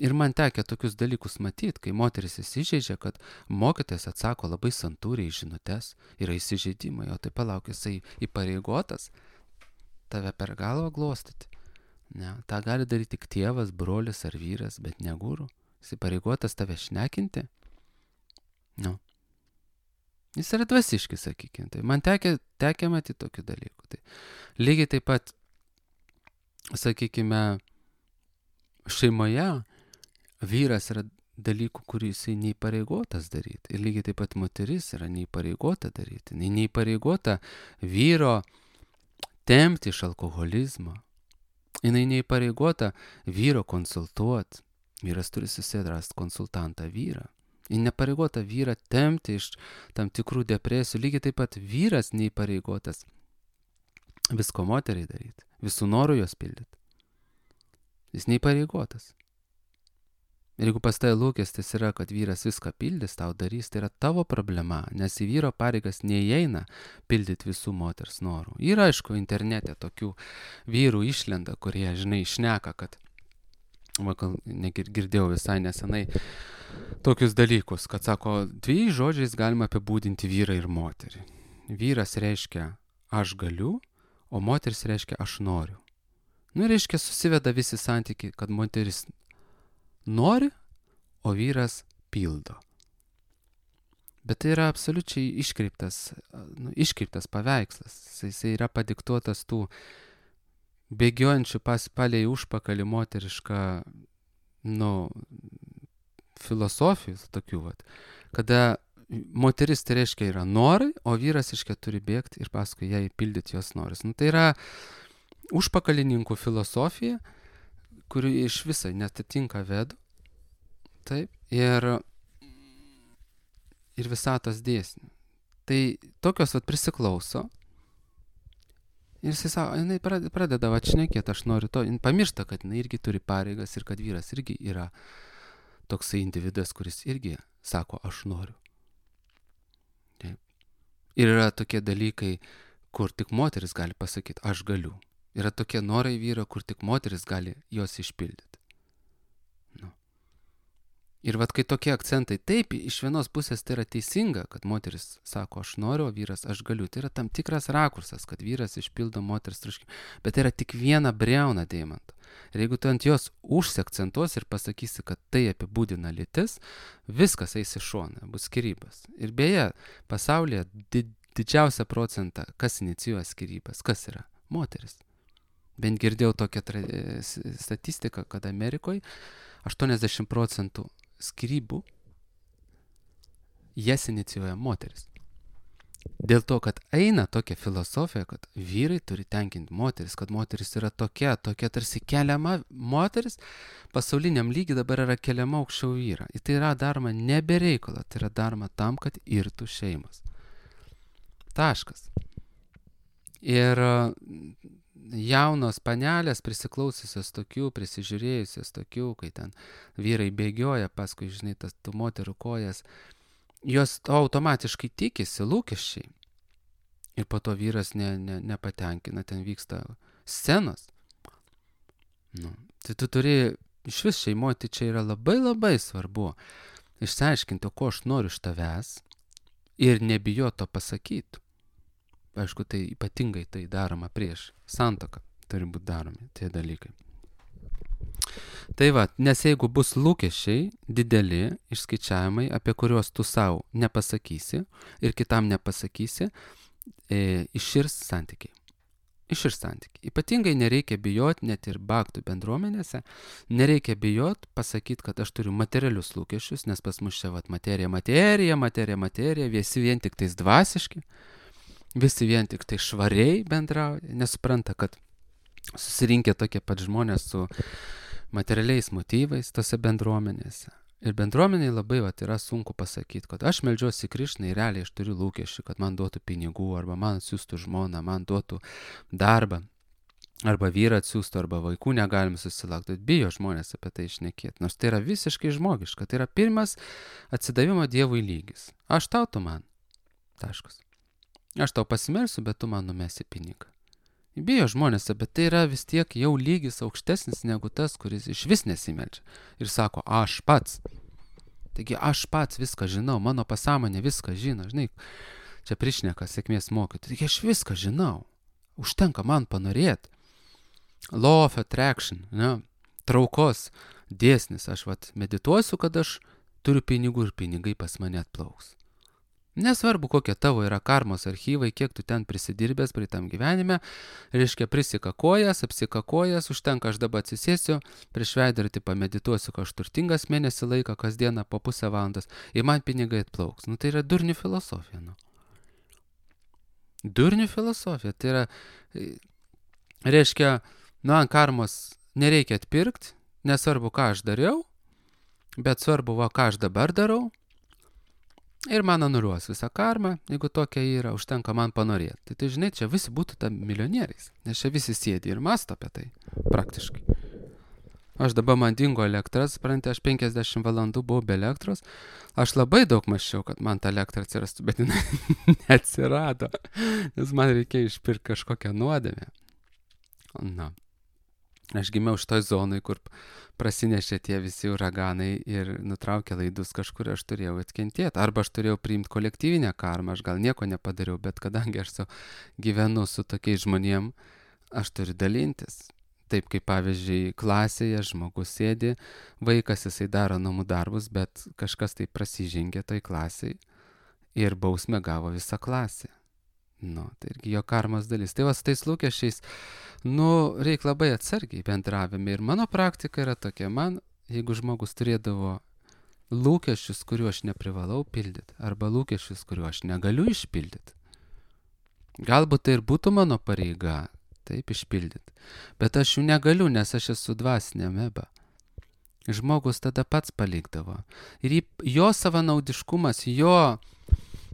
Ir man tekia tokius dalykus matyti, kai moteris įsižeidžia, kad mokytojas atsako labai santūriai žinutes, yra įsižeidimai, o tai palauk, jisai įpareigotas tave per galvą glostyti. Ne, tą gali daryti tik tėvas, brolis ar vyras, bet ne guru. Jis įpareigotas tave šnekinti. Nu. Jis yra dvasiškis, sakykime. Tai man tekia matyti tokių dalykų. Tai lygiai taip pat, sakykime, šeimoje vyras yra dalykų, kurį jisai neįpareigotas daryti. Ir lygiai taip pat moteris yra neįpareigota daryti. Neįpareigota vyro tempti iš alkoholizmo. Jinai neįpareigota vyro konsultuoti. Vyras turi susidrasti konsultantą vyrą. Ji nepareigota vyrą tempti iš tam tikrų depresijų. Lygiai taip pat vyras neįpareigotas visko moteriai daryti. Visų norų jos pildyti. Jis neįpareigotas. Ir jeigu pas tai lūkestis yra, kad vyras viską pildys, tau darys, tai yra tavo problema, nes į vyro pareigas neįeina pildyti visų moters norų. Yra, aišku, internete tokių vyrų išlenda, kurie, žinai, šneka, kad, girdėjau visai nesenai tokius dalykus, kad sako, 2 žodžiais galima apibūdinti vyrą ir moterį. Vyras reiškia aš galiu, o moteris reiškia aš noriu. Nu, reiškia, susiveda visi santykiai, kad moteris nori, o vyras pildo. Bet tai yra absoliučiai iškreiptas paveikslas. Jisai yra padiktuotas tų bėgiojančių palei užpakalį moterišką, filosofijų tokių, kada moteris tai reiškia yra norai, o vyras reiškia turi bėgti ir paskui jai pildyti jos noris. Tai yra užpakalininkų filosofija, kuri iš visai netitinka vedų, taip, ir visatos dėsnių. Tai tokios prisiklauso ir jinai pradeda šnekėti, aš noriu to, jinai pamiršta, kad jinai irgi turi pareigas ir kad vyras irgi yra toksai individas, kuris irgi sako, aš noriu. Taip. Ir yra tokie dalykai, kur tik moteris gali pasakyti, aš galiu. Yra tokie norai vyro, kur tik moteris gali juos išpildyti. Ir kai tokie akcentai, taip, iš vienos pusės tai yra teisinga, kad moteris sako, aš noriu, o vyras, aš galiu. Tai yra tam tikras rakursas, kad vyras išpildo moters troškimą. Bet tai yra tik viena briauna deimanto. Ir jeigu tu ant jos užsiakcentuosi ir pasakysi, kad tai apibūdina lytis, viskas eis į šoną, bus skyrybos. Ir beje, pasaulyje didžiausią procentą, kas inicijuoja skyrybas, kas yra? Moteris. Bent girdėjau tokią statistiką, kad Amerikoje 80% skyrybų jas inicijuoja moteris. Dėl to, kad eina tokia filosofija, kad vyrai turi tenkinti moteris, kad moteris yra tokia tarsi keliama moteris, pasauliniam lygiai dabar yra keliama aukščiau vyrą. Ir tai yra daroma ne be reikalo, tai yra daroma tam, kad irtų šeimas. Taškas. Ir jaunos panelės prisiklausiusios tokių, prisižiūrėjusios tokių, kai ten vyrai bėgioja paskui, žinai, tas tų moterų kojas, jos automatiškai tikisi lūkesčiai. Ir po to vyras nepatenkina, ten vyksta scenos. Tai tu turi, iš vis šeimoje, tai čia yra labai labai svarbu išsiaiškinti, ko aš noriu iš tavęs ir nebijoti to pasakyti. Aišku, tai ypatingai tai daroma prieš santuoką, turi būti daromi tie dalykai. Tai nes jeigu bus lūkesčiai dideli išskaičiavimai, apie kuriuos tu savo nepasakysi ir kitam nepasakysi, iširs santykiai. Ypatingai nereikia bijoti, net ir baktų bendruomenėse, nereikia bijoti pasakyti, kad aš turiu materialius lūkesčius, nes pas mus čia materija, visi vien tik tais dvasiški. Visi vien tik tai švariai bendrauja, nesupranta, kad susirinkę tokie pat žmonės su materialiais motyvais tose bendruomenėse. Ir bendruomeniai labai yra sunku pasakyti, kad aš meldžiuosi Krišnai ir realiai aš turiu lūkesčių, kad man duotų pinigų, arba man atsiųstų žmoną, man duotų darbą, arba vyrą atsiųstų, arba vaikų negalim susilaukti. Bijo žmonės apie tai šnekėti, nors tai yra visiškai žmogiška. Tai yra pirmas atsidavimo Dievui lygis. Aš tau, tu man. Taškas. Aš tau pasimelsiu, bet tu man numesi pinigą. Bijo žmonės, bet tai yra vis tiek jau lygis aukštesnis negu tas, kuris iš vis nesimeldžia. Ir sako, aš pats. Taigi aš pats viską žinau, mano pasąmonė viską žino, žinai, čia prišneka sėkmės mokyti. Taigi aš viską žinau. Užtenka man panorėti. Law of attraction, ne? Traukos dėsnis. Aš medituosiu, kad aš turiu pinigų ir pinigai pas mane atplauks. Nesvarbu, kokie tavo yra karmos archyvai, kiek tu ten prisidirbęs praeitam gyvenime, reiškia prisikakojęs, apsikakojęs, užtenka aš dabar atsisėsiu, prieš veidrodį pamedituosiu, kad aš turtingas mėnesį laiką, kasdieną po pusę valandos, ir man pinigai atplauks. Tai yra durnių filosofija. Durnių filosofija. Tai yra, reiškia, ant karmos nereikia atpirkti, nesvarbu, ką aš dariau, bet svarbu, ką aš dabar darau. Ir man anuliuos visą karmą, jeigu tokia yra, užtenka man panorėti. Tai žinai, čia visi būtų tam milijonieriais, nes čia visi sėdi ir mąsto apie tai, praktiškai. Aš dabar man dingo elektras, suprantate, aš 50 valandų buvau be elektros, aš labai daug mąsčiau, kad man ta elektra atsirastų, bet jinai neatsirado, nes man reikėjo išpirkti kažkokią nuodėmę. Aš gimiau šitoj zonai, kur prasinešė tie visi uraganai ir nutraukė laidus, kažkur aš turėjau atkentėti. Arba aš turėjau priimti kolektyvinę karmą, aš gal nieko nepadariau, bet kadangi aš gyvenu su tokiais žmonėm, aš turiu dalintis. Taip kaip pavyzdžiui klasėje žmogus sėdi, vaikas jisai daro namų darbus, bet kažkas tai prasižengė toj klasiai ir bausmę gavo visą klasę. Tai irgi jo karmos dalis. Tai su tais lūkesčiais, reikia labai atsargiai bendravime. Ir mano praktika yra tokia, jeigu žmogus turėdavo lūkesčius, kuriuo aš neprivalau pildyti, arba lūkesčius, kuriuo aš negaliu išpildyti, galbūt tai ir būtų mano pareiga, taip išpildyti, bet aš jų negaliu, nes aš esu dvasinė ameba. Žmogus tada pats palikdavo. Ir jo savanaudiškumas, jo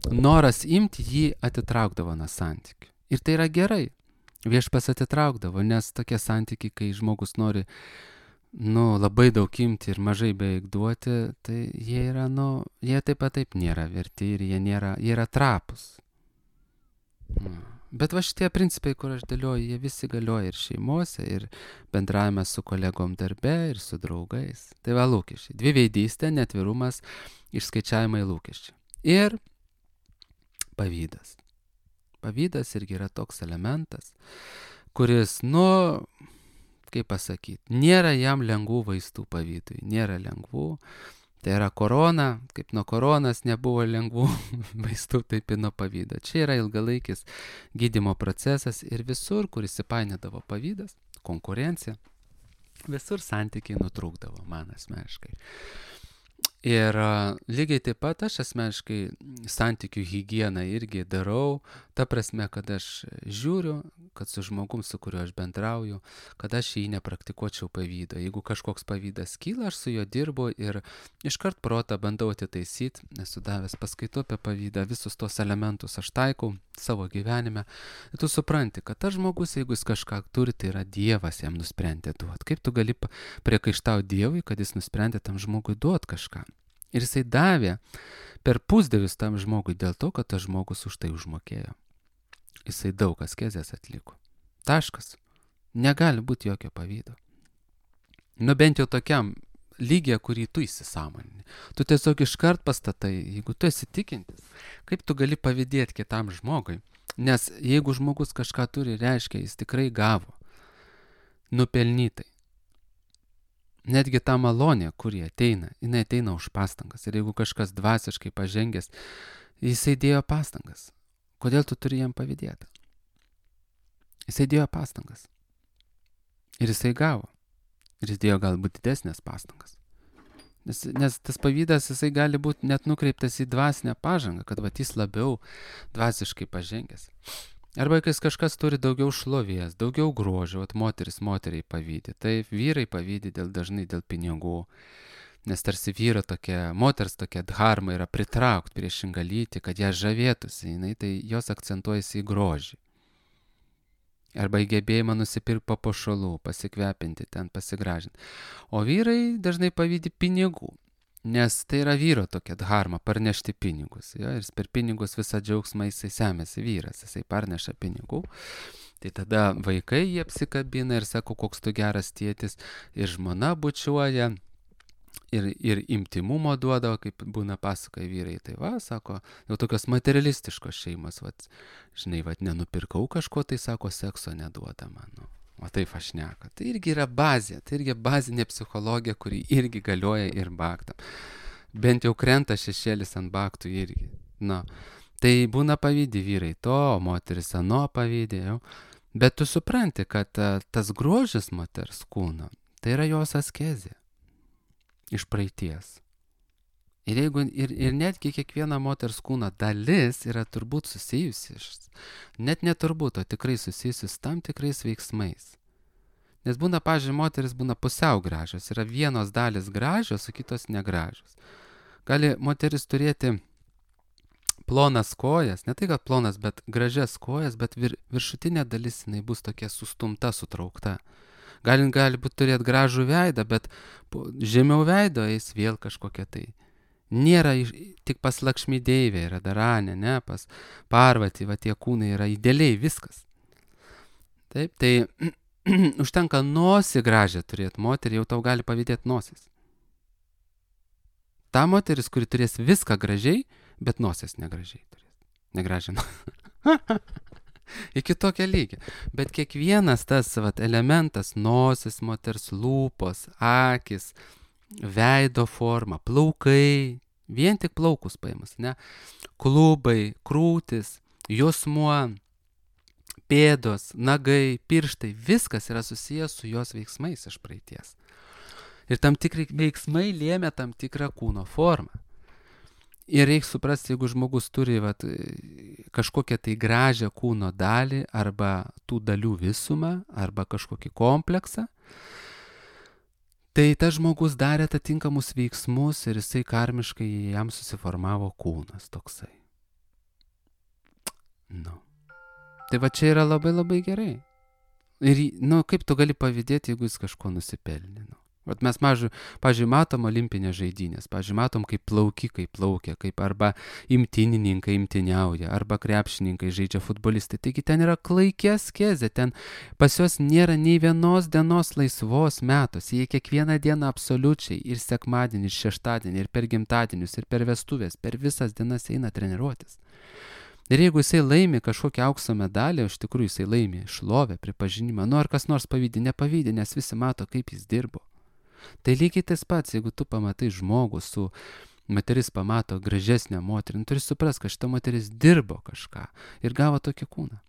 noras imti jį atitraukdavo nuo santykių. Ir tai yra gerai. Viešpas atitraukdavo, nes tokie santykiai, kai žmogus nori labai daug imti ir mažai beveik duoti, tai jie yra, jie taip pat taip nėra verti ir jie yra trapus. Bet šitie principai, kur aš dėlioju, jie visi galioja ir šeimose, ir bendravime su kolegom darbe, ir su draugais. Tai lūkesčiai. Dviveidystė, netvirumas, išskaičiavimai lūkesčiai. Ir pavydas. Pavydas irgi yra toks elementas, kuris, kaip pasakyti, nėra jam lengvų vaistų pavydui, nėra lengvų. Tai yra korona, kaip nuo koronas nebuvo lengvų vaistų, taip ir nuo pavydo. Čia yra ilgalaikis gydymo procesas ir visur, kur įsipainiodavo pavydas, konkurencija, visur santykiai nutrūkdavo, man asmeniškai. Ir lygiai taip pat aš asmeniškai santykių higieną irgi darau, ta prasme, kad aš žiūriu, kad su žmogum, su kuriuo aš bendrauju, kad aš jį nepraktikuočiau pavydo. Jeigu kažkoks pavydas kyla, aš su juo dirbu ir iškart protą bandau atitaisyti, esu davęs paskaitų apie pavydą, visus tos elementus aš taikau savo gyvenime. Ir tu supranti, kad tas žmogus, jeigu jis kažką turi, tai yra Dievas jam nusprendė duoti. Kaip tu gali priekaištauti Dievui, kad jis nusprendė tam žmogui duoti kažką? Ir jisai davė per pusdievius tam žmogui dėl to, kad tas žmogus už tai užmokėjo. Jisai daug askezės atliko. Taškas. Negali būti jokio pavydo. Bent jau tokiam lygiai, kurį tu įsisąmonini. Tu tiesiog iškart pastatai, jeigu tu esi tikintis, kaip tu gali pavydėti kitam žmogui. Nes jeigu žmogus kažką turi, reiškia, jis tikrai gavo. Nupelnytai. Netgi ta malonė, kuri ateina, jinai ateina už pastangas. Ir jeigu kažkas dvasiškai pažengęs, jisai dėjo pastangas. Kodėl tu turi jam pavydėti? Jisai dėjo pastangas. Ir jisai gavo. Ir jis dėjo galbūt didesnės pastangas. Nes tas pavydas, jisai gali būti net nukreiptas į dvasinę pažangą, kad jis labiau dvasiškai pažengęs. Arba kai kažkas turi daugiau šlovės, daugiau grožio, moteris moteriai pavydi. Taip, vyrai pavydi dažnai dėl pinigų. Nes tarsi vyro tokia, moters tokia dharma yra pritraukti priešingą lytį, kad ją žavėtųsi, tai jos akcentuojasi į grožį. Arba į gebėjimą nusipirkti papuošalų, pasikvepinti ten, pasigražinti. O vyrai dažnai pavydi pinigų. Nes tai yra vyro tokia dharma, parnešti pinigus. Jo, ir per pinigus visą džiaugsmą jisai semėsi vyras, jisai parneša pinigų. Tai tada vaikai jie apsikabina ir sako, koks tu geras tėtis, ir žmona bučiuoja, ir intimumo duodavo, kaip būna pasakoja vyrai. Tai va, sako, jau tokios materialistiškos šeimos, va, žinai, va, nenupirkau kažko, tai sako, sekso neduoda man. Nu. O taip aš šneka. Tai irgi yra bazė, tai irgi bazinė psichologija, kuri irgi galioja ir baktam. Bent jau krenta šešėlis ant baktų irgi. Na, tai būna pavydi vyrai to, moteris ano pavydi jau. Bet tu supranti, kad tas grožis moters kūno, tai yra jos askezė iš praeities. Ir netgi kiekviena moters kūno dalis yra turbūt susijusi, net neturbūt, o tikrai susijusi su tam tikrais veiksmais. Nes būna, pavyzdžiui, moteris būna pusiau gražios, yra vienos dalis gražios, o kitos negražios. Gali moteris turėti plonas kojas, ne tai kad plonas, bet gražias kojas, bet viršutinė dalis jinai bus tokia sustumta, sutraukta. Gali būt turėti gražų veidą, bet žemiau veido eis vėl kažkokia tai. Nėra tik pas Lakšmi Deivė, yra Daranė, ne, pas Parvati, va tie kūnai yra idealiai viskas. Taip, tai užtenka nosį gražią turėti moterį, jau tau gali pavydėti nosis. Ta moteris, kuri turės viską gražiai, bet nosies negražiai turės. Negražiai. Iki tokio lygio. Bet kiekvienas tas elementas, nosis, moters lūpos, akis, veido forma, plaukai, vien tik plaukus paimus, ne? Klubai, krūtis, juosmuo, pėdos, nagai, pirštai, viskas yra susijęs su jos veiksmais iš praeities. Ir tam tikri veiksmai lėmė tam tikrą kūno formą. Ir reikia suprasti, jeigu žmogus turi kažkokią tai gražią kūno dalį, arba tų dalių visumą, arba kažkokį kompleksą, tai tas žmogus darė atitinkamus veiksmus ir jisai karmiškai jam susiformavo kūnas toksai. Nu. Tai va čia yra labai labai gerai. Ir, kaip tu gali pavydėti, jeigu jis kažko nusipelnė, Vat mes, pavyzdžiui, matom olimpinės žaidynės, pavyzdžiui, matom, kaip plaukikai plaukia, kaip arba imtynininkai imtyniauja, arba krepšininkai žaidžia futbolistai. Taigi ten yra klaikia askezė, ten pas juos nėra nei vienos dienos laisvos metos. Jie kiekvieną dieną absoliučiai ir sekmadienį, ir šeštadienį, ir per gimtadienius, ir per vestuvės, per visas dienas eina treniruotis. Ir jeigu jisai laimi kažkokią aukso medalį, iš tikrųjų jisai laimi šlovę, pripažinimą, ar kas nors pavydi, nepavydi, nes visi mato, kaip jis dirbo. Tai lygiai tas pats, jeigu tu pamatai žmogų moteris pamato gražesnę moterį, turi suprast, kad šita moteris dirbo kažką ir gavo tokį kūną.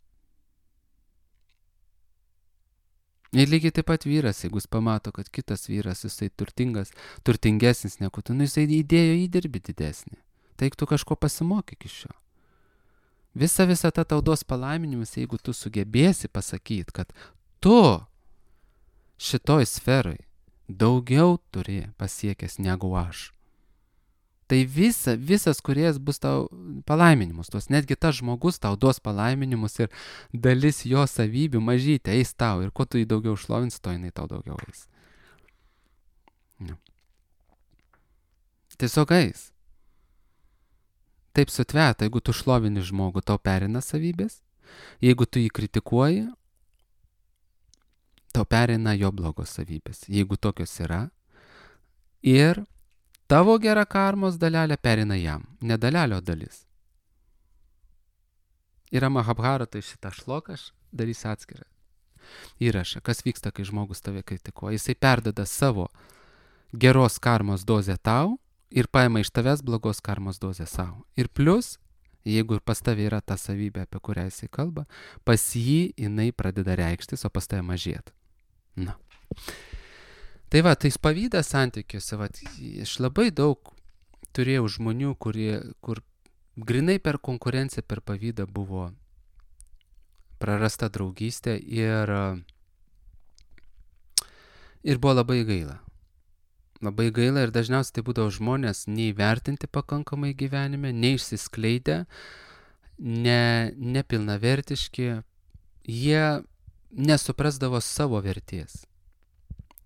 Ir lygiai taip pat vyras, jeigu jis pamato, kad kitas vyras, jisai turtingesnis negu tu, jisai įdėjo įdirbį didesnį. Tai tu kažko pasimokyk iš jo. Visa ta tau duos palaiminimus, jeigu tu sugebėsi pasakyti, kad tu šitoj sferoj daugiau turi pasiekęs negu aš. Tai visas kūrėjas bus tau palaiminimus, netgi tas žmogus tau duos palaiminimus ir dalis jo savybių mažytė eis tau ir kuo tu jį daugiau šlovins, to jinai tau daugiau eis. Ja. Tiesiog eis. Taip sutveta, jeigu tu šlovini žmogų, tau perina savybės, jeigu tu jį kritikuoji, tau perina jo blogos savybės, jeigu tokios yra, ir tavo gera karmos dalelė perina jam, ne dalelio dalis. Yra Mahabharatai šitą šloką, aš darysiu atskirą įrašą, kas vyksta, kai žmogus tave kritikuoja. Jisai perdada savo geros karmos dozę tau ir paima iš tavęs blogos karmos dozę savo. Ir plus, jeigu ir pas tave yra ta savybė, apie kurią jisai kalba, pas jį jinai pradeda reikštis, o pas tave mažėti. Na. Tai va, tai pavydas santykiuose, aš labai daug turėjau žmonių, kur grinai per konkurenciją, per pavydą buvo prarasta draugystė ir buvo labai gaila. Labai gaila ir dažniausiai tai būdavo žmonės neįvertinti pakankamai gyvenime, neišsiskleidę, nepilnavertiški, jie nesuprasdavo savo vertės.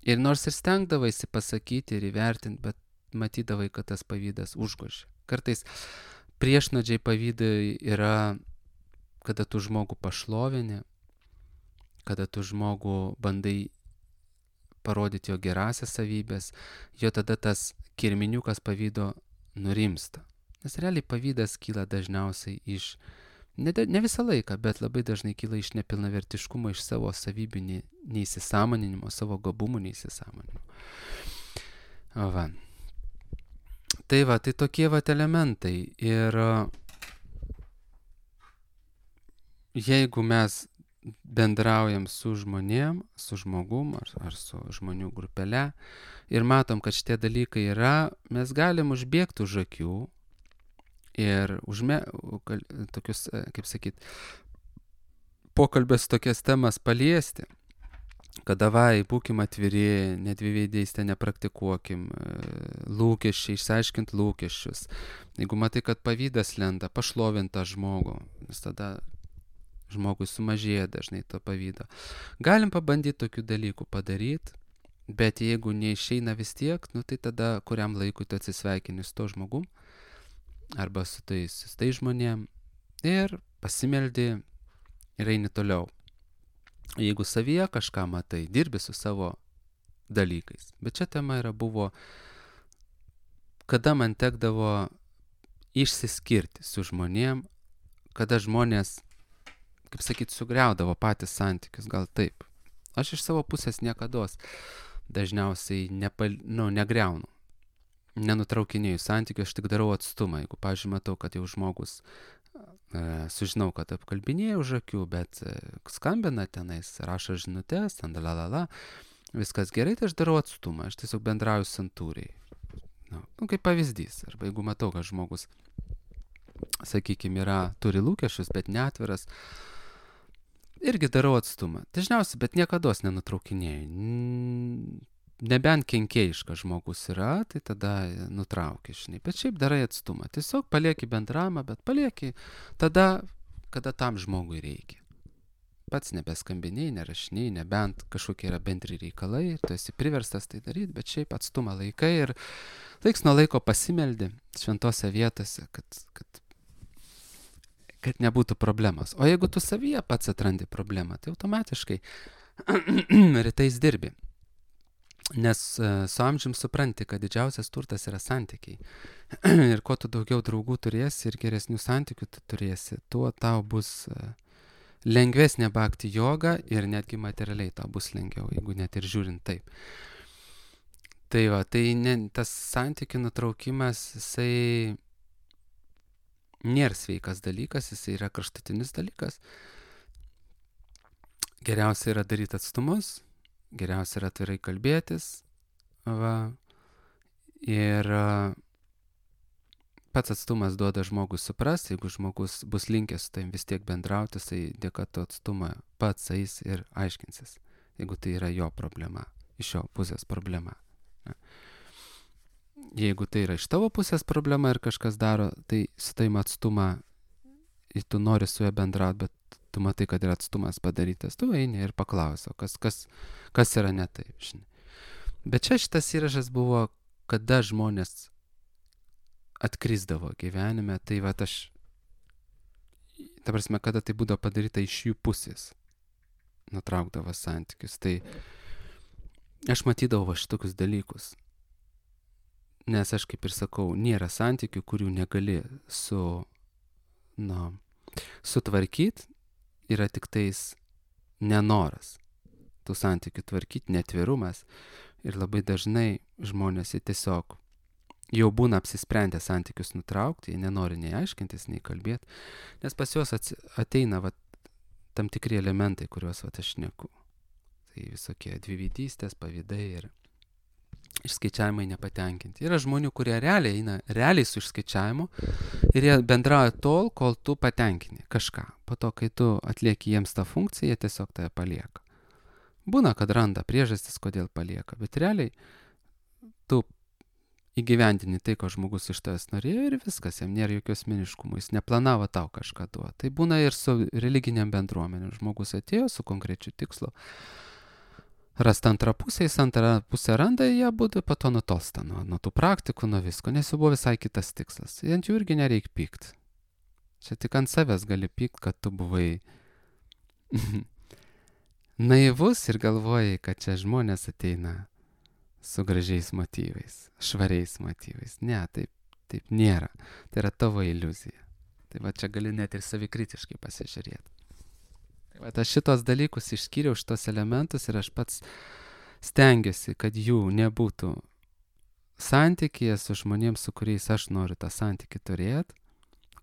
Ir nors ir stengdavaisi pasakyti ir įvertinti, bet matydavai, kad tas pavydas užgožia. Kartais priešnodžiai pavydai yra, kada tu žmogų pašlovini, kada tu žmogų bandai parodyti jo gerasias savybės, jo tada tas kirminiukas pavydo nurimsta. Nes realiai pavydas kyla dažniausiai iš, ne visą laiką, bet labai dažnai kyla iš nepilnavertiškumo, iš savo savybių neįsisąmoninimo, savo gabumų neįsisąmoninimo. Va. Tai tokie elementai. Ir jeigu mes bendraujam su žmonėm, su žmogum ar su žmonių grupele ir matom, kad šitie dalykai yra, mes galim užbėgti už akių ir tokius, kaip sakyt, pokalbės tokias temas paliesti, kad davai, būkim atviri, nedviveidystę nepraktikuokim, lūkesčiai, išsiaiškint lūkesčius. Jeigu matai, kad pavydas lenda, pašlovint tą žmogų, nes tada žmogui sumažėja dažnai to pavydo. Galim pabandyti tokių dalykų padaryti, bet jeigu neišeina vis tiek, tai tada kuriam laikui tu atsisveikini su to žmogum arba su tais žmonėm ir pasimeldi ir eini toliau. Jeigu savyje kažką matai, dirbi su savo dalykais. Bet čia tema buvo, kada man tekdavo išsiskirti su žmonėm, kada žmonės, kaip sakyt, sugriaudavo patys santykius, gal taip. Aš iš savo pusės niekados dažniausiai negriaunu. Nenutraukinėju santykių, aš tik darau atstumą. Jeigu, pavyzdžiui, matau, kad jau žmogus, sužinau, kad apkalbinėja už akių, bet skambina tenais, rašo žinutės, viskas gerai, tai aš darau atstumą. Aš tiesiog bendrauju santūriai. Kaip pavyzdys. Arba jeigu matau, kad žmogus, sakykime, turi lūkesčius, bet neatviras, irgi darau atstumą. Dažniausiai, bet niekados nenutraukinėju. Nebent kenkėjiškas žmogus yra, tai tada nutrauki, žinai. Bet šiaip darai atstumą. Tiesiog palieki bendravimą, bet palieki tada, kada tam žmogui reikia. Pats nebeskambiniai, nerašiniai, nebent kažkokie yra bendri reikalai, tu esi priverstas tai daryti, bet šiaip atstumą laikai ir laiks nuo laiko pasimeldi šventose vietose, kad nebūtų problemos. O jeigu tu savyje pats atrandi problemą, tai automatiškai rytais dirbi. Nes su amžium supranti, kad didžiausias turtas yra santykiai. Ir kuo tu daugiau draugų turėsi ir geresnių santykių tu turėsi, tuo tau bus lengvesnė bhakti joga ir netgi materialiai tau bus lengviau, jeigu net ir žiūrint taip. Tai tas santykių nutraukimas, jisai nėra sveikas dalykas, jisai yra kraštutinis dalykas. Geriausia yra daryti atstumus, geriausia yra atvirai kalbėtis. Ir pats atstumas duoda žmogui suprasti, jeigu žmogus bus linkęs su tavim vis tiek bendrauti, tai dėka to atstumą pats eis ir aiškinsis, jeigu tai yra jo problema, iš jo pusės problema. Jeigu tai yra iš tavo pusės problema ir kažkas daro, tai su tavim atstumą ir tu nori su juo bendrauti, bet tu matai, kad yra atstumas padarytas, tu eini ir paklausi, kas yra ne taip, žinai. Bet čia šitas įrašas buvo, kada žmonės atkrisdavo gyvenime, tai ta prasme, kada tai būdavo padaryta iš jų pusės, nutraukdavo santykius, tai aš matydavau šitokius dalykus. Nes aš, kaip ir sakau, nėra santykių, kurių negali sutvarkyti, yra tik tais nenoras tų santykių tvarkyti, netvirumas. Ir labai dažnai žmonės tiesiog jau būna apsisprendę santykius nutraukti, jie nenori nei aiškintis, nei kalbėti, nes pas juos ateina tam tikri elementai, kuriuos aš šneku. Tai visokie dviveidystės, pavydai ir išskaičiavimai nepatenkinti. Yra žmonių, kurie realiai su išskaičiavimu ir jie bendrauja tol, kol tu patenkini kažką. Po to, kai tu atlieki jiems tą funkciją, jie tiesiog tave palieka. Būna, kad randa priežastis, kodėl palieka, bet realiai tu įgyvendini tai, ko žmogus iš tavęs norėjo ir viskas, jam nėra jokios asmeniškumo, jis neplanavo tau kažką duoti. Tai būna ir su religiniam bendruomenėm. Žmogus atėjo su konkrečiu tikslu rasti antrą pusę, jis antrą pusę randa, jie būtų po to nutolsta nuo tų praktikų, nuo visko, nes jau buvo visai kitas tikslas. Ant jų irgi nereik pykt. Čia tik ant savęs gali pykt, kad tu buvai naivus ir galvojai, kad čia žmonės ateina su gražiais motyvais, švariais motyvais. Ne, taip nėra. Tai yra tavo iliuzija. Tai va čia gali net ir savikritiškai pasižiūrėti. Tai va aš šitos dalykus išskyriau, šitos elementus ir aš pats stengiuosi, kad jų nebūtų santykyje su žmonėms, su kuriais aš noriu tą santykį turėti,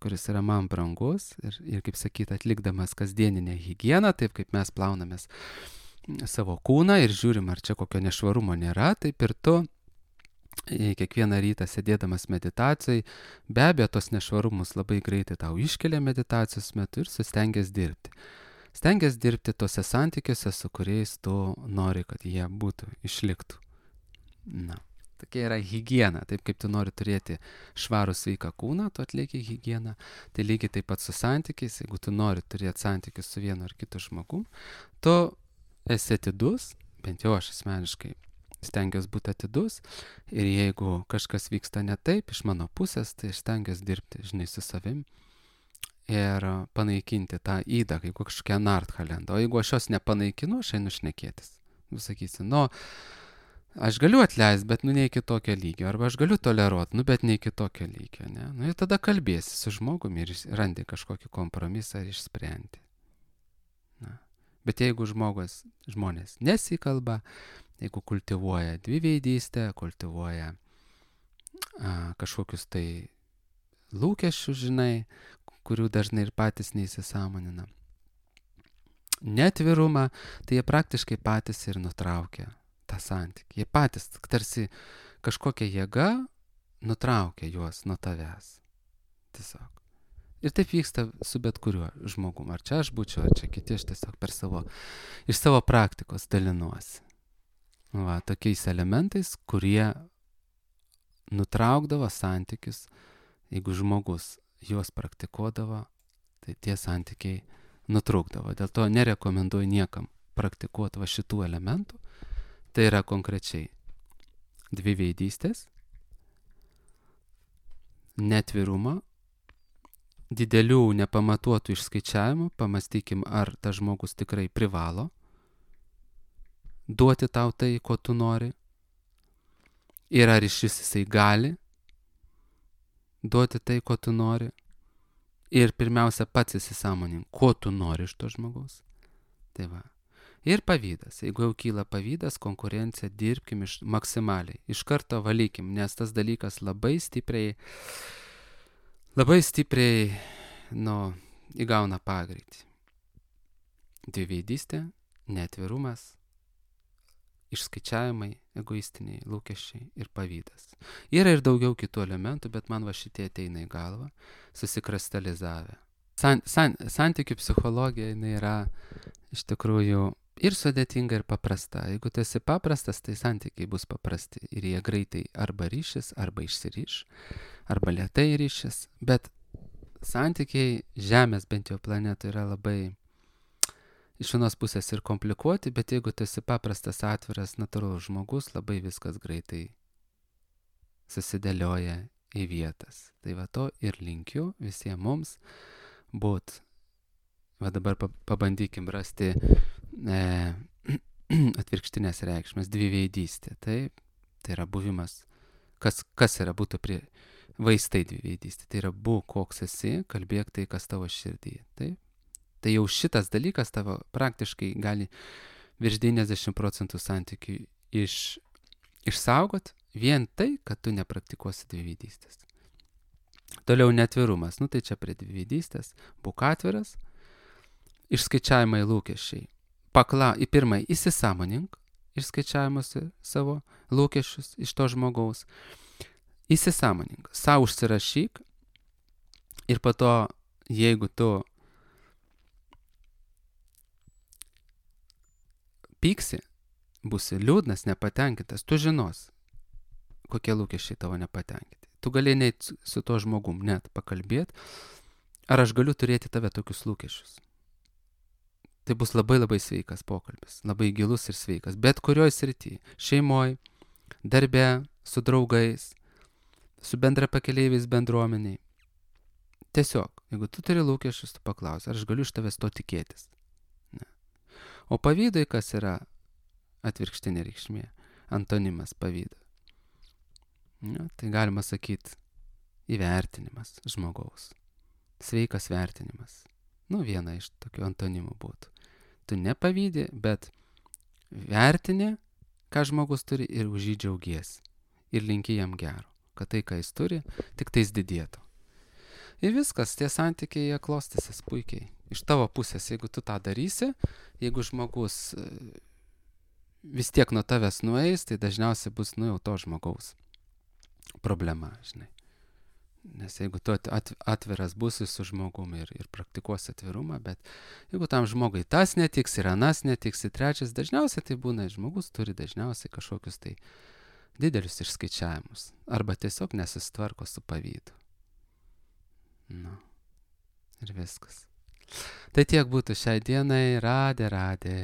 kuris yra man brangus ir kaip sakyt, atlikdamas kasdieninę higieną, taip kaip mes plaunamės savo kūną ir žiūrim, ar čia kokio nešvarumo nėra, taip ir tu kiekvieną rytą sėdėdamas meditacijai, be abejo, tos nešvarumus labai greitai tau iškelia meditacijos metu ir sustengiasi dirbti. Stengiasi dirbti tose santykiuose, su kuriais tu nori, kad jie būtų, išliktų. Na, tokia yra higiena. Taip kaip tu nori turėti švarų sveiką kūną, tu atlieki higieną. Tai lygiai taip pat su santykiais, jeigu tu nori turėti santykius su vienu ar kitu žmogum, tu esi atidus, bent jau aš asmeniškai stengiuosi būti atidus ir jeigu kažkas vyksta ne taip iš mano pusės, tai stengiuosi dirbti, žinai, su savim ir panaikinti tą įdą, kaip kažkokią narthalentą. O jeigu aš jos nepanaikinu, aš einu šnekėtis. Sakysi, aš galiu atleisti, bet ne iki tokio lygio, arba aš galiu toleruoti, bet ne iki tokio lygio, ne? Ir tada kalbėsi su žmogumi ir randi kažkokį kompromisą ir išsprendi. Bet jeigu žmonės nesikalba, jeigu kultivuoja dviveidystę, kultivuoja kažkokius tai lūkesčius, žinai, kurių dažnai ir patys neįsisąmonina, netvirumą, tai jie praktiškai patys ir nutraukia tą santykį. Jie patys tarsi kažkokia jėga nutraukia juos nuo tavęs. Tiesiog. Ir taip vyksta su bet kuriuo žmogum. Ar čia aš būčiau, ar čia kiti, aš tiesiog iš savo praktikos dalinuosi. Va, tokiais elementais, kurie nutraukdavo santykius, jeigu žmogus juos praktikuodavo, tai tie santykiai nutrūkdavo. Dėl to nerekomenduoju niekam praktikuoti va šitų elementų. Tai yra konkrečiai dviveidystės, netvirumą, didelių nepamatuotų išskaičiavimų, pamastykim, ar tas žmogus tikrai privalo duoti tau tai, ko tu nori, ir ar iš jisai gali duoti tai, ko tu nori, ir pirmiausia pats įsisąmonink, ko tu nori iš to žmogaus. Tai va. Ir pavydas. Jeigu jau kyla pavydas, konkurencija, dirbkim maksimaliai. Iš karto valykim, nes tas dalykas labai stipriai įgauna pagreitį. Dviveidystė, netvirumas, išskaičiavimai, egoistiniai lūkesčiai ir pavydas. Yra ir daugiau kitų elementų, bet man va šitie ateina į galvą, susikristalizavę. Santykių psichologija jinai yra iš tikrųjų ir sudėtinga, ir paprasta. Jeigu tu esi paprastas, tai santykiai bus paprasti ir jie greitai arba ryšis, arba išsiryš, arba lėtai ryšis. Bet santykiai Žemės bent jau planetoje yra labai iš vienos pusės ir komplikuoti, bet jeigu tu esi paprastas, atviras, natūralus žmogus, labai viskas greitai susidėlioja į vietas. Tai va to ir linkiu visiems mums būt. Va dabar pabandykim rasti atvirkštinės reikšmės, dviveidystė. Taip, tai yra buvimas, kas yra būtų vaistai dviveidystė. Tai yra būk koks esi, kalbėk tai, kas tavo širdyje. Taip. Tai jau šitas dalykas tavo praktiškai gali virš 90% santykių išsaugot vien tai, kad tu nepraktikuosi dviveidystės. Toliau netvirumas. Tai čia prie dviveidystės. Būk atviras. Išskaičiavimai lūkesčiai. Į pirmąjį įsisąmonink išskaičiavimuose savo lūkesčius iš to žmogaus. Įsisąmonink. Sau užsirašyk. Ir po to, jeigu tu pyksi, būsi liūdnas, nepatenkintas, tu žinos, kokie lūkesčiai tavo nepatenkinti. Tu gali net su to žmogum net pakalbėti, ar aš galiu turėti tave tokius lūkesčius. Tai bus labai labai sveikas pokalbis, labai gilus ir sveikas, bet kurioj srity, šeimoj, darbe, su draugais, su bendrapakeleiviais bendruomeniai. Tiesiog, jeigu tu turi lūkesčius, tu paklausi, ar aš galiu iš tavęs to tikėtis. Ne. O pavydui kas yra atvirkštinė reikšmė, antonimas pavydo. Ne, tai galima sakyti įvertinimas žmogaus, sveikas vertinimas. Viena iš tokių antonimų būtų. Tu nepavydi, bet vertini, ką žmogus turi ir už jį džiaugiesi. Ir linki jam gero, kad tai, ką jis turi, tik tais didėtų. Ir viskas, tie santykiai jie klostysis puikiai. Iš tavo pusės, jeigu tu tą darysi, jeigu žmogus vis tiek nuo tavęs nueis, tai dažniausiai bus jau to žmogaus problema, žinai. Nes jeigu tu atviras būsi su žmogumi ir praktikuosi atvirumą, bet jeigu tam žmogui tas netiks ir anas netiks ir trečias, dažniausiai tai būna, žmogus turi dažniausiai kažkokius tai didelius išskaičiavimus arba tiesiog nesistvarko su pavydu. Ir viskas. Tai tiek būtų šiai dienai. Radė.